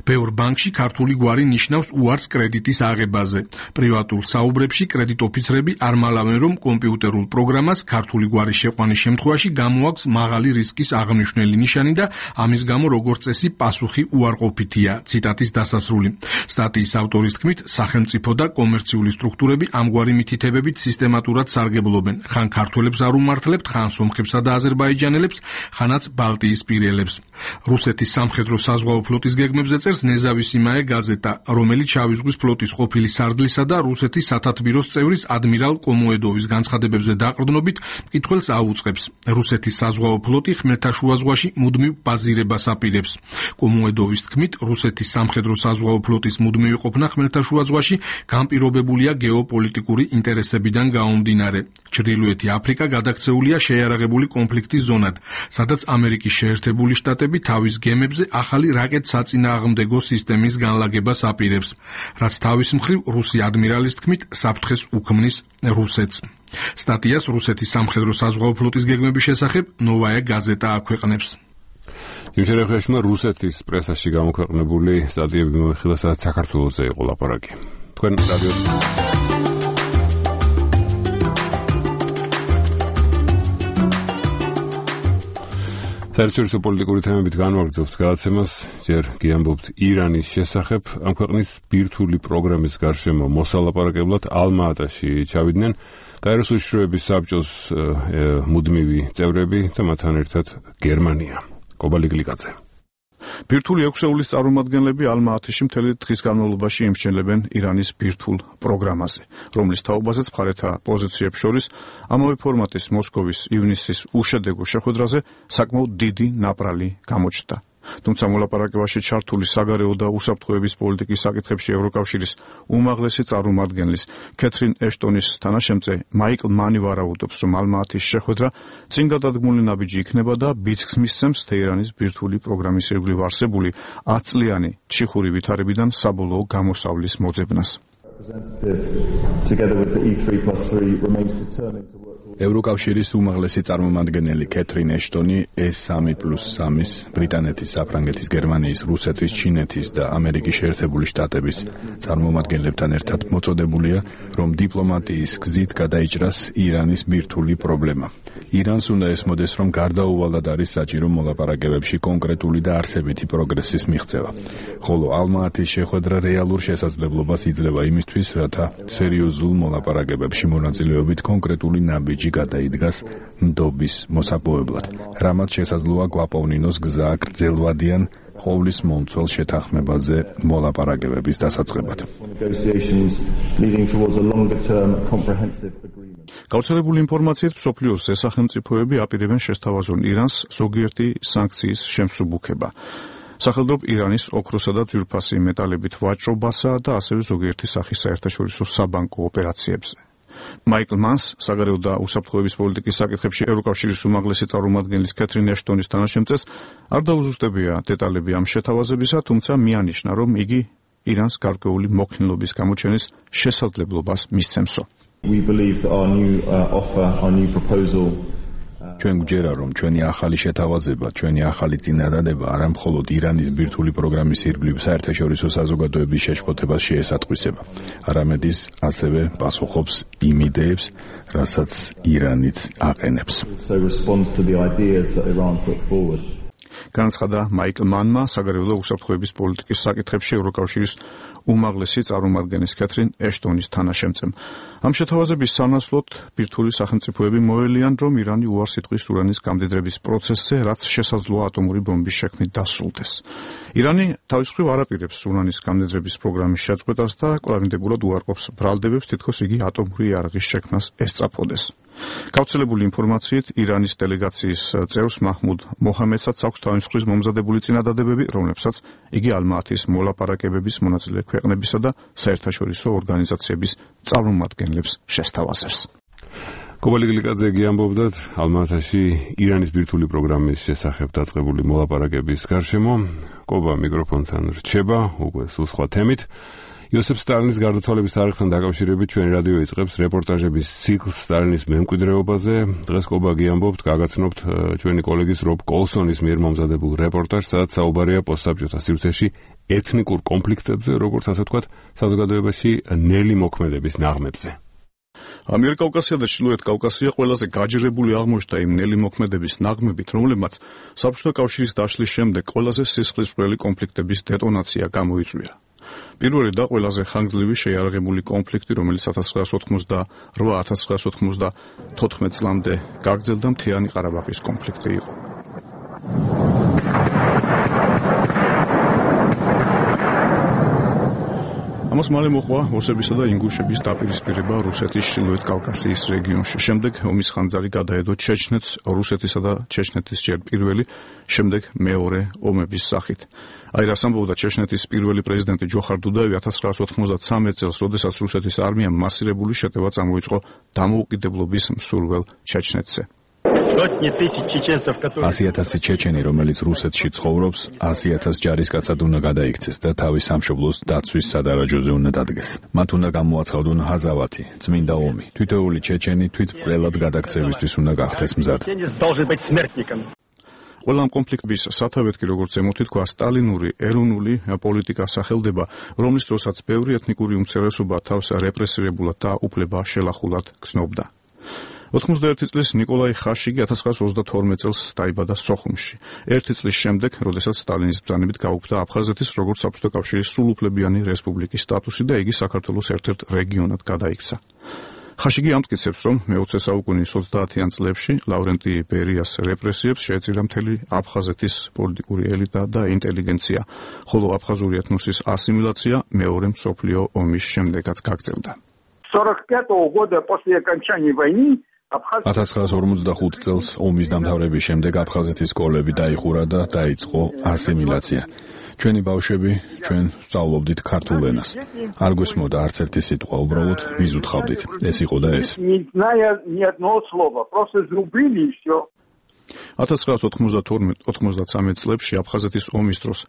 ბევრ ბანკში ქართული გვარი ნიშნავს უარს კრედიტის აღებაზე. პრივატულ საუბრებში კრედიტ ოფიცრები არ მალავენ, რომ კომპიუტერულ პროგრამას ქართული გვარის შეყვანის შემთხვევაში გამოაქვს მაღალი რისკის აღნიშნული ნიშანი და ამის გამო როგორც წესი პასუხი უარყოფითია. ციტატის დასასრული. სტატიის ავტორის თქმით, სახელმწიფო და კომერციული სტრუქტურები ამგვარი მითითებებით სისტემატურად სარგებლობენ. ხან ქართველებს არ უმართლებთ, ხან სომხებსა და აზერბაიჯანელებს, ხანაც ბალტიისპირელებს. რუსეთის სამხედრო საზღვაო ფლოტის გეგმებზე წერს ნეზავისიმაე გაზეტა, რომელიც შავი ზღვის ფლოტის ყოფილი სარდლისა და რუსეთის სათათბიროს წევრის ადმირალ კომოედოვის განცხადებებზე დაყრდნობით მკითხველს აუწყებს. რუსეთის საზღვაო ფლოტი ხმელთაშუა ზღვაში მუდმივ ბაზირებას აპირებს. კომოედოვის თქმით, რუსეთის სამხედრო საზღვაო ფლოტის მუდმივი ყოფნა ხმელთაშუა ზღვაში განპირობებულია გეოპოლიტიკური ინტერესებიდან გაუმდინარე. ჩრდილოეთი აფრიკა გადაქცეულია შეიარაღებული კონფლიქტის ზონად, სადაც ამერიკის შეერთებული შტატები თავის გემებზე ახალი რაკეტ-საწინააღმდეგო სისტემის განლაგებას აპირებს, რაც თავის მხრივ რუსი ადმირალის თქმით საფრთხეს უქმნის რუსეთს. სტატიას რუსეთის სამხედრო საზღვაო ფლოტის გეგმების შესახებ ნოვაია გაზეტა აქვეყნებს. იმშერეხეშმა რუსეთის პრესაში გამოქვეყნებული სტატიები მოიხილა, სადაც საქართველოზე იყო ლაპარაკი. თქვენ რადიო საერთაშორისო პოლიტიკური თემებით განვაგრძობთ გადაცემას, ჯერ გიამბობთ ირანის შესახებ. ამ ქვეყნის ბირთვული პროგრამის გარშემო მოსალაპარაკებლად ალმა-ატაში ჩავიდნენ კაიროს უშიშროების საბჭოს მუდმივი წევრები და მათთან ერთად გერმანია. კობალი გლიკაძე. ბირთვული ექვსეულის წარმომადგენლები ალმა-ატაში მთელი დღის განმავლობაში იმსჩენლებენ ირანის ბირთვულ პროგრამაზე, რომლის თაობაზეც მხარეთა პოზიციებს შორის ამავე ფორმატის მოსკოვის ივნისის უშედეგო შეხვედრაზე საკმაოდ დიდი ნაპრალი გამოჩნდა. თუმცა მოლაპარაკებაში ჩართული საგარეო და უსაფრთხოების პოლიტიკის საკითხებში ევროკავშირის უმაღლესი წარმომადგენლის კეთრინ ეშტონის თანაშემწე მაიკლ მანი ვარაუდობს, რომ ალმა-ატის შეხვედრა წინ გადადგმული ნაბიჯი იქნება და ბიძგს მისცემს თეირანის ბირთვული პროგრამის ირგვლივ არსებული ათწლიანი ჩიხური ვითარებიდან საბოლოო გამოსავლის მოძებნას. ევროკავშირის უმაღლესი წარმომადგენელი კეთრინ ეშტონი ეს სამი პლუს სამის ბრიტანეთის, საფრანგეთის, გერმანიის, რუსეთის, ჩინეთის და ამერიკის შეერთებული შტატების წარმომადგენლებთან ერთად მოწოდებულია, რომ დიპლომატიის გზით გადაიჭრას ირანის ბირთვული პრობლემა. ირანს უნდა ესმოდეს, რომ გარდაუვალად არის საჭირო მოლაპარაკებებში კონკრეტული და არსებითი პროგრესის მიღწევა, ხოლო ალმა-ათის შეხვედრა რეალურ შესაძლებლობას იძლევა იმისთვის, რათა სერიოზულ მოლაპარაკებებში მონაწილეობით კონკრეტული ნაბიჯი გადაიდგას ნდობის მოსაპოვებლად, რამაც შესაძლოა გვაპოვნინოს გზა გრძელვადიან ყოვლის მომცველ შეთანხმებაზე მოლაპარაკებების დასაწყებად. გავრცელებული ინფორმაციით მსოფლიოს სახელმწიფოები აპირებენ შესთავაზონ ირანს ზოგიერთი სანქციის შემსუბუქება. სახელმწიფო ირანის ოქროსა და ძვირფასი მეტალებით ვაჭრობასა და ასევე ზოგიერთი სახის საერთაშორისო საბანკო ოპერაციებზე. მაიკლ მანს, საგარეო და უსაფრთხოების პოლიტიკის საკითხებში ევროკავშირის უმაღლესი წარმომადგენლის კეთრინ ეშტონის თანაშემწეს, არ დაუზუსტებია დეტალები ამ შეთავაზებისა, თუმცა მიანიშნა, რომ იგი ირანს გარკვეული მოქნილობის გამოჩენის შესაძლებლობას მისცემსო. We believe that our new uh, offer, our new proposal ჩვენ გვჯერა, რომ ჩვენი ახალი შეთავაზება, ჩვენი ახალი წინადადება არა მხოლოდ ირანის ბირთვული პროგრამის ირგვლივ საერთაშორისო საზოგადოების შეშფოთებას შეესატყვისება, არამედ ის ასევე პასუხობს იმ იდეებს, რასაც ირანიც აყენებს. განაცხადა მაიკლ მანმა, საგარეო და უსაფრთხოების პოლიტიკის საკითხებში ევროკავშირის უმაღლესი წარმომადგენლის კეთრინ ეშტონის თანაშემწემ. ამ შეთავაზების სანაცვლოდ ბირთვული სახელმწიფოები მოელიან, რომ ირანი უარს იტყვის ურანის გამდიდრების პროცესზე, რაც შესაძლოა ატომური ბომბის შექმნით დასრულდეს. ირანი თავის მხრივ არ აპირებს ურანის გამდიდრების პროგრამის შეწყვეტას და კვლავინდებურად უარყოფს ბრალდებებს, თითქოს იგი ატომური იარაღის შექმნას ესწრაფოდეს. გავრცელებული ინფორმაციით, ირანის დელეგაციის წევრს მაჰმუდ მოჰამედსაც აქვს თავის მხრივ მომზადებული წინადადებები, რომლებსაც იგი ალმა-ათის მოლაპარაკებების მონაწილე ქვეყნებისა და საერთაშორისო ორგანიზაციების წარმომადგენლებს შესთავაზებს. კობალი გლიკაძე ამბობდათ ალმა-ათში ირანის ბირთვული პროგრამის შესახებ დაწყებული მოლაპარაკების გარშემო. კობა მიკროფონთან რჩება, უკვე სულ სხვა თემით. იოსებ სტალინის გარდაცვალების თარიღთან დაკავშირებით ჩვენი რადიო იწყებს რეპორტაჟების ციკლს სტალინის მემკვიდრეობაზე. დღეს კობა გიამბობთ, გაგაცნობთ ჩვენი კოლეგის რობ კოლსონის მიერ მომზადებულ რეპორტაჟს, სადაც საუბარია პოსტსაბჭოთა სივრცეში ეთნიკურ კონფლიქტებზე, როგორც ასე ვთქვათ, საზოგადოებაში ნელი მოქმედების ნაღმებზე. ამიერკავკასია და ჩრდილოეთ კავკასია ყველაზე გაჯერებული აღმოჩნდა იმ ნელი მოქმედების ნაღმებით, რომლებმაც საბჭოთა კავშირის დაშლის შემდეგ ყველაზე სისხლისმღვრელი კონფლიქტების დეტონაცია გამოიწვია. პირველი და ყველაზე ხანგრძლივი შეიარაღებული კონფლიქტი, რომელიც ათას ცხრაასი ოცდაოთხ ათას ცხრაასი ოცდათოთხმეტ წლამდე გაგრძელდა, მთიანი ყარაბაღის კონფლიქტი იყო. ამას მალე მოყვა ოსებისა და ინგუშების დაპირისპირება რუსეთის ჩრდილოეთ კავკასიის რეგიონში. შემდეგ ომის ხანძარი გადაედო ჩეჩნეთს რუსეთისა და ჩეჩნეთის ჯერ პირველი, შემდეგ მეორე ომების სახით. აი რას ამბობდა ჩეჩნეთის პირველი პრეზიდენტი ჯოხარ დუდაევი ათას ცხრაასი ოცდამოცდამე წელს, როდესაც რუსეთის არმიამ მასირებული შეტევა წამოიწყო დამოუკიდებლობის მსურველ ჩეჩნეთზე. ასი ათასი ჩეჩენი, რომელიც რუსეთში ცხოვრობს, ასი ათას ჯარისკაცად უნდა გადაიქცეს და თავის სამშობლოს დაცვის სადარაჯოზე უნდა დადგეს. მათ უნდა გამოაცხადონ ჰაზავათი, წმინდა ომი. თითოეული ჩეჩენი თვითმკვლელად გადაქცევისთვის უნდა გახდეს მზად. ყველა ამ კონფლიქტის სათავედ კი, როგორც ემოთი თქვა, სტალინური ეროვნული პოლიტიკა სახელდება, რომლის დროსაც ბევრი ეთნიკური უმცირესობა თავს რეპრესირებულად და უფლება შელახულად გრძნობდა. ოთხმოცდაერთი წლის ნიკოლაი ხაშიგი ათას ცხრაასი ოცდათორმეტ წელს დაიბადა სოხუმში. ერთი წლის შემდეგ, როდესაც სტალინის ბრძანებით გაუქმდა აფხაზეთის როგორც საბჭოთა კავშირის სრულუფლებიანი რესპუბლიკის სტატუსი და იგი საქართველოს ერთ-ერთ რეგიონად გადაიქცა. ხაშიგი ამტკიცებს, რომ მეოცე საუკუნის ოცდაათიან წლებში ლავრენტი ბერიას რეპრესიებს შეეწირა მთელი აფხაზეთის პოლიტიკური ელიტა და ინტელიგენცია, ხოლო აფხაზური ეთნოსის ასიმილაცია მეორე მსოფლიო ომის შემდეგაც გაგრძელდა. ათას ცხრაასი ორმოცდახუთი წელს ომის დამთავრების შემდეგ აფხაზეთის სკოლები დაიხურა და დაიწყო ასიმილაცია. ჩვენი ბავშვები, ჩვენ ვსწავლობდით ქართულ ენას. არ გვესმოდა არც ერთი სიტყვა, უბრალოდ ვიზუთხავდით. ეს იყო და ეს. ათას ცხრაასი ოცდათორმეტ ოცდამოცდამე წლებში აფხაზეთის ომის დროს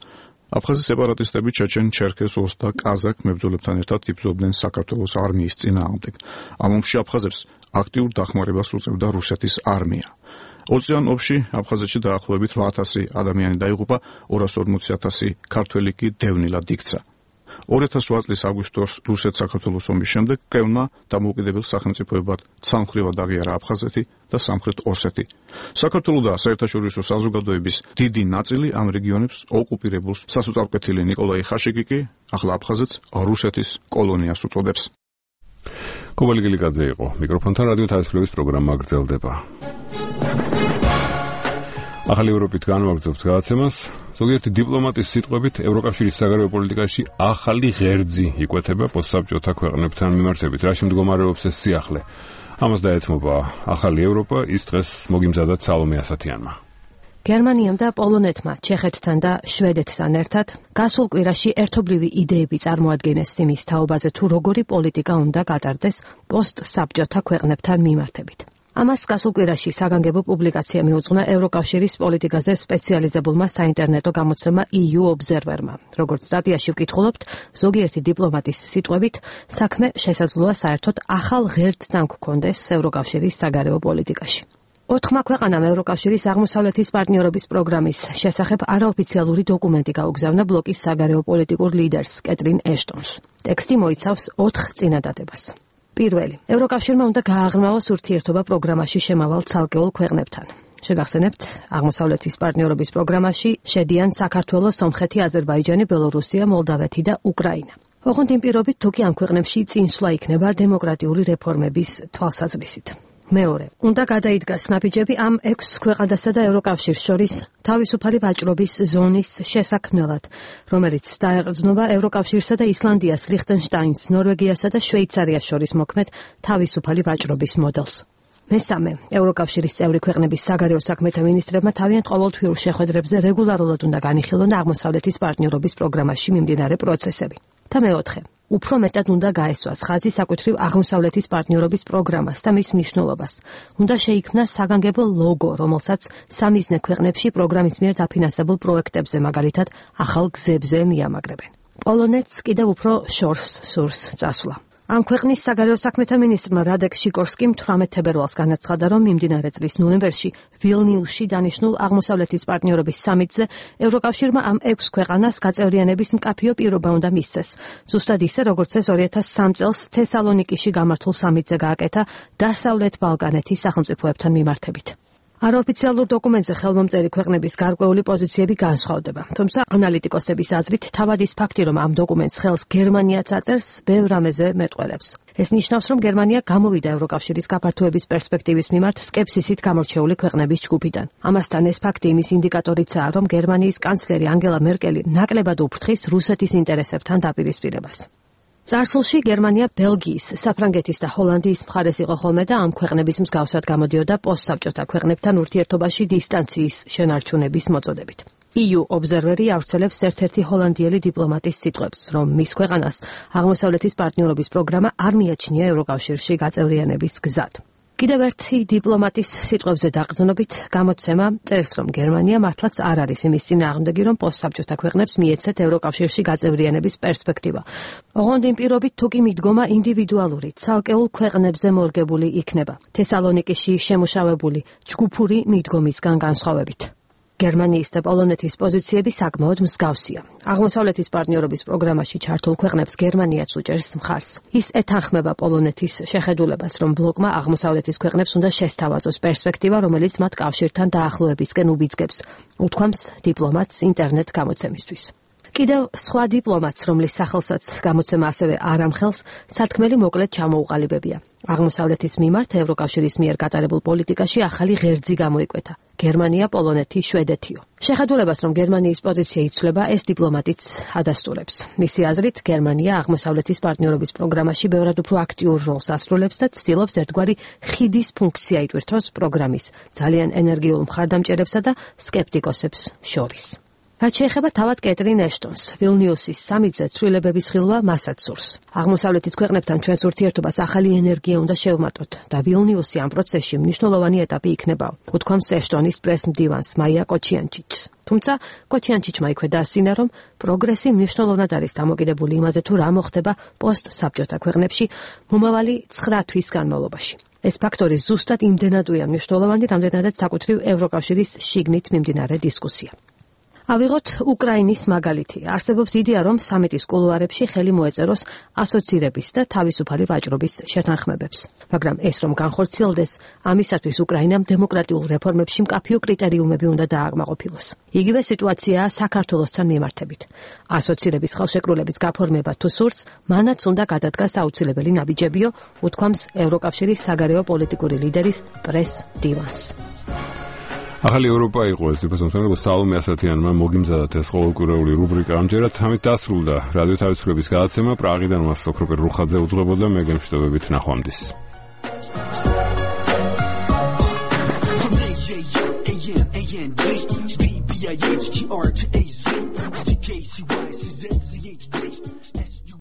აფხაზი სეპარატისტები ჩეჩენ, ჩერქეს, ოს და კაზაკ მებრძოლებთან ერთად იბრძოდნენ საქართველოს არმიის წინააღმდეგ. ამ ომში აფხაზებს აქტიურ დახმარებას უწევდა რუსეთის არმია. ოციან ომში აფხაზეთში დაახლოებით რვა ათასი ადამიანი დაიღუპა, ორას ორმოცი ათასი ქართველი კი დევნილად იქცა. ორი ათას ოთხ წლის აგვისტოს რუსეთ-საქართველოს ომის შემდეგ კრემლმა დამოუკიდებელ სახელმწიფოებად ცალმხრივად აღიარა აფხაზეთი და სამხრეთ ოსეთი. საქართველოს და საერთაშორისო საზოგადოების დიდი ნაწილი ამ რეგიონებს ოკუპირებულს სასოწარკვეთილი ნიკოლაი ხაშიკი კი ახლა აფხაზეთს რუსეთის კოლონიას უწოდებს. კობალი გილიკაძე იყო მიკროფონთან, რადიო თავისუფლების პროგრამა გრძელდება. ახალი ევროპით განვაგრძობთ გადაცემას. ზოგიერთი დიპლომატის სიტყვებით ევროკავშირის საგარეო პოლიტიკაში ახალი ღერძი იკვეთება პოსტსაბჭოთა ქვეყნებთან მიმართებით. რაში მდგომარეობს ეს სიახლე? ამას დაეთმობა ახალი ევროპა, ის დღეს მოგიმზადათ სალომე ასათიანმა. გერმანიამ და პოლონეთმა, ჩეხეთთან და შვედეთთან ერთად გასულ კვირაში ერთობლივი იდეები წარმოადგენეს იმის თაობაზე, თუ როგორი პოლიტიკა უნდა გატარდეს პოსტსაბჭოთა ქვეყნებთან მიმართებით. ამას გასულ კვირაში საგანგებო პუბლიკაცია მიუძღვნა ევროკავშირის პოლიტიკაზე სპეციალიზებულმა საინტერნეტო გამოცემა ი იუ Observer-მა. როგორც სტატიაში ვკითხულობთ, ზოგიერთი დიპლომატის სიტყვებით, საქმე შესაძლოა საერთოდ ახალ ღერძთან გქონდეს ევროკავშირის საგარეო პოლიტიკაში. ოთხმა ქვეყანამ ევროკავშირის აღმოსავლეთის პარტნიორობის პროგრამის შესახებ არაოფიციალური დოკუმენტი გაუგზავნა ბლოკის საგარეო პოლიტიკურ ლიდერს კეტრინ ეშტონს. ტექსტი მოიცავს ოთხ წინადადებას. პირველი, ევროკავშირმა უნდა გააღრმავოს ურთიერთობა პროგრამაში შემავალ ცალკეულ ქვეყნებთან. შეგახსენებთ, აღმოსავლეთის პარტნიორობის პროგრამაში შედიან საქართველო, სომხეთი, აზერბაიჯანი, ბელორუსია, მოლდავეთი და უკრაინა. ოღონდ იმ პირობით, თუ კი ამ ქვეყნებში წინსვლა იქნება დემოკრატიული რეფორმების თვალსაზრისით. მეორე, უნდა გადაიდგას ნაბიჯები ამ ექვს ქვეყანასა და ევროკავშირს შორის თავისუფალი ვაჭრობის ზონის შესაქმნელად, რომელიც დაეყრდნობა ევროკავშირსა და ისლანდიას, ლიხტენშტაინს, ნორვეგიასა და შვეიცარიას შორის მოქმედ თავისუფალი ვაჭრობის მოდელს. მესამე, ევროკავშირის წევრი ქვეყნების საგარეო საქმეთა მინისტრებმა თავიანთ ყოველთვიურ შეხვედრებზე რეგულარულად უნდა განიხილონ აღმოსავლეთის პარტნიორობის პროგრამაში მიმდინარე პროცესები. და მეოთხე, უფრო მეტად უნდა გაესვას ხაზი საკუთრივ აღმოსავლეთის პარტნიორობის პროგრამას და მის მნიშვნელობას. უნდა შეიქმნა საგანგებო ლოგო, რომელსაც სამიზნე ქვეყნებში პროგრამის მიერ დაფინანსებულ პროექტებზე, მაგალითად, ახალ გზებზე მიამაგრებენ. პოლონეთს კიდევ უფრო შორს სურს წასვლა. ამ ქვეყნის საგარეო საქმეთა მინისტრმა რადეკ შიკორსკიმ თვრამეტ თებერვალს განაცხადა, რომ მიმდინარე წლის ნოემბერში ვილნიუსში დანიშნულ აღმოსავლეთის პარტნიორობის სამიტზე ევროკავშირმა ამ ექვს ქვეყანას გაწევრიანების მკაფიო პირობა უნდა მისცეს. ზუსტად ისე, როგორც ეს ორი ათას სამი წელს თესალონიკიში გამართულ სამიტზე გააკეთა დასავლეთ ბალკანეთის სახელმწიფოებთან მიმართებით. არაოფიციალურ დოკუმენტზე ხელმომწერი ქვეყნების გარკვეული პოზიციები განსხვავდება. თუმცა ანალიტიკოსების აზრით, თავად ის ფაქტი, რომ ამ დოკუმენტს ხელს გერმანიაც აწერს, ბევრ რამეზე მეტყველებს. ეს ნიშნავს, რომ გერმანია გამოვიდა ევროკავშირის გაფართოების პერსპექტივის მიმართ სკეპსისით გამორჩეული ქვეყნების ჯგუფიდან. ამასთან ეს ფაქტი იმის ინდიკატორიცაა, რომ გერმანიის კანცლერი ანგელა მერკელი ნაკლებად უფრთხის რუსეთის ინტერესებთან დაპირისპირებას. წარსულში გერმანია ბელგიის, საფრანგეთის და ჰოლანდიის მხარეს იყო ხოლმე და ამ ქვეყნების მსგავსად გამოდიოდა პოსტსაბჭოთა ქვეყნებთან ურთიერთობაში დისტანციის შენარჩუნების მოწოდებით. ი იუ Observer-ი ავრცელებს ერთ-ერთი ჰოლანდიელი დიპლომატის სიტყვებს, რომ მის ქვეყანას აღმოსავლეთის პარტნიორობის პროგრამა არ მიაჩნია ევროკავშირში გაწევრიანების გზად. კიდევ ერთი დიპლომატის სიტყვებზე დაყრდნობით გამოცემა წერს, რომ გერმანია მართლაც არ არის იმის წინააღმდეგი, რომ პოსტსაბჭოთა ქვეყნებს მიეცეთ ევროკავშირში გაწევრიანების პერსპექტივა. ოღონდ იმ პირობით, თუ კი მიდგომა ინდივიდუალური, ცალკეულ ქვეყნებზე მორგებული იქნება, თესალონიკიში შემუშავებული ჯგუფური მიდგომისგან განსხვავებით. გერმანიის და პოლონეთის პოზიციები საკმაოდ მსგავსია. აღმოსავლეთის პარტნიორობის პროგრამაში ჩართულ ქვეყნებს გერმანიაც უჭერს მხარს. ის ეთანხმება პოლონეთის შეხედულებას, რომ ბლოკმა აღმოსავლეთის ქვეყნებს უნდა შესთავაზოს პერსპექტივა, რომელიც მათ კავშირთან დაახლოებისკენ უბიძგებს, უთქვამს დიპლომატს ინტერნეტ გამოცემისთვის. კიდევ სხვა დიპლომატს, რომლის სახელსაც გამოცემა ასევე არ ამხელს, სათქმელი მოკლედ ჩამოუყალიბებია. აღმოსავლეთის მიმართ ევროკავშირის მიერ გატარებულ პოლიტიკაში ახალი ღერძი გამოიკვეთა. გერმანია, პოლონეთი, შვედეთიო. შეხედულებას, რომ გერმანიის პოზიცია იცვლება, ეს დიპლომატიც ადასტურებს. მისი აზრით, გერმანია აღმოსავლეთის პარტნიორობის პროგრამაში ბევრად უფრო აქტიურ როლს ასრულებს და ცდილობს ერთგვარი ხიდის ფუნქცია იტვირთოს პროგრამის ძალიან ენერგიულ მხარდამჭერებსა და სკეპტიკოსებს შორის. რაც შეეხება თავად კეტრინ ეშტონს, ვილნიუსის სამიტზე ცვლილებების ხილვა მასაც სურს. აღმოსავლეთის ქვეყნებთან ჩვენს ურთიერთობას ახალი ენერგია უნდა შევმატოთ და ვილნიუსი ამ პროცესში მნიშვნელოვანი ეტაპი იქნება, უთქვამს ეშტონის პრეს-მდივანს მაია კოჩიანჩიჩს. თუმცა კოჩიანჩიჩმა იქვე დაასინა, რომ პროგრესი მნიშვნელოვნად არის დამოკიდებული იმაზე, თუ რა მოხდება პოსტ-საბჭოთა ქვეყნებში მომავალი ცხრა თვის განმავლობაში. ეს ფაქტორი ზუსტად იმდენადვეა მნიშვნელოვანი, რამდენადაც საკუთრივ ევროკავშირის შიგნით მიმდინარე დისკუსია. ავიღოთ უკრაინის მაგალითი. არსებობს იდეა, რომ სამიტის კულუარებში ხელი მოეწეროს ასოცირების და თავისუფალი ვაჭრობის შეთანხმებებს. მაგრამ ეს რომ განხორციელდეს, ამისათვის უკრაინამ დემოკრატიულ რეფორმებში მკაფიო კრიტერიუმები უნდა დააკმაყოფილოს. იგივე სიტუაციაა საქართველოსთან მიმართებით. ასოცირების ხელშეკრულების გაფორმება თუ სურს, მანაც უნდა გადადგას აუცილებელი ნაბიჯებიო, უთქვამს ევროკავშირის საგარეო პოლიტიკური ლიდერის პრეს-მდივანს. ახალი ევროპა იყო ეს დიპლომატიური სალომე ასათიანმა მოგიმზადათ ეს ყოველკვირეული რუბრიკა. ამჯერად ამით დასრულდა რადიო თავისუფლების გადაცემა. პრაღიდან მას ოქროპერ რუხაძე უძღვებოდა, მე გემშვიდობებით ნახვამდის.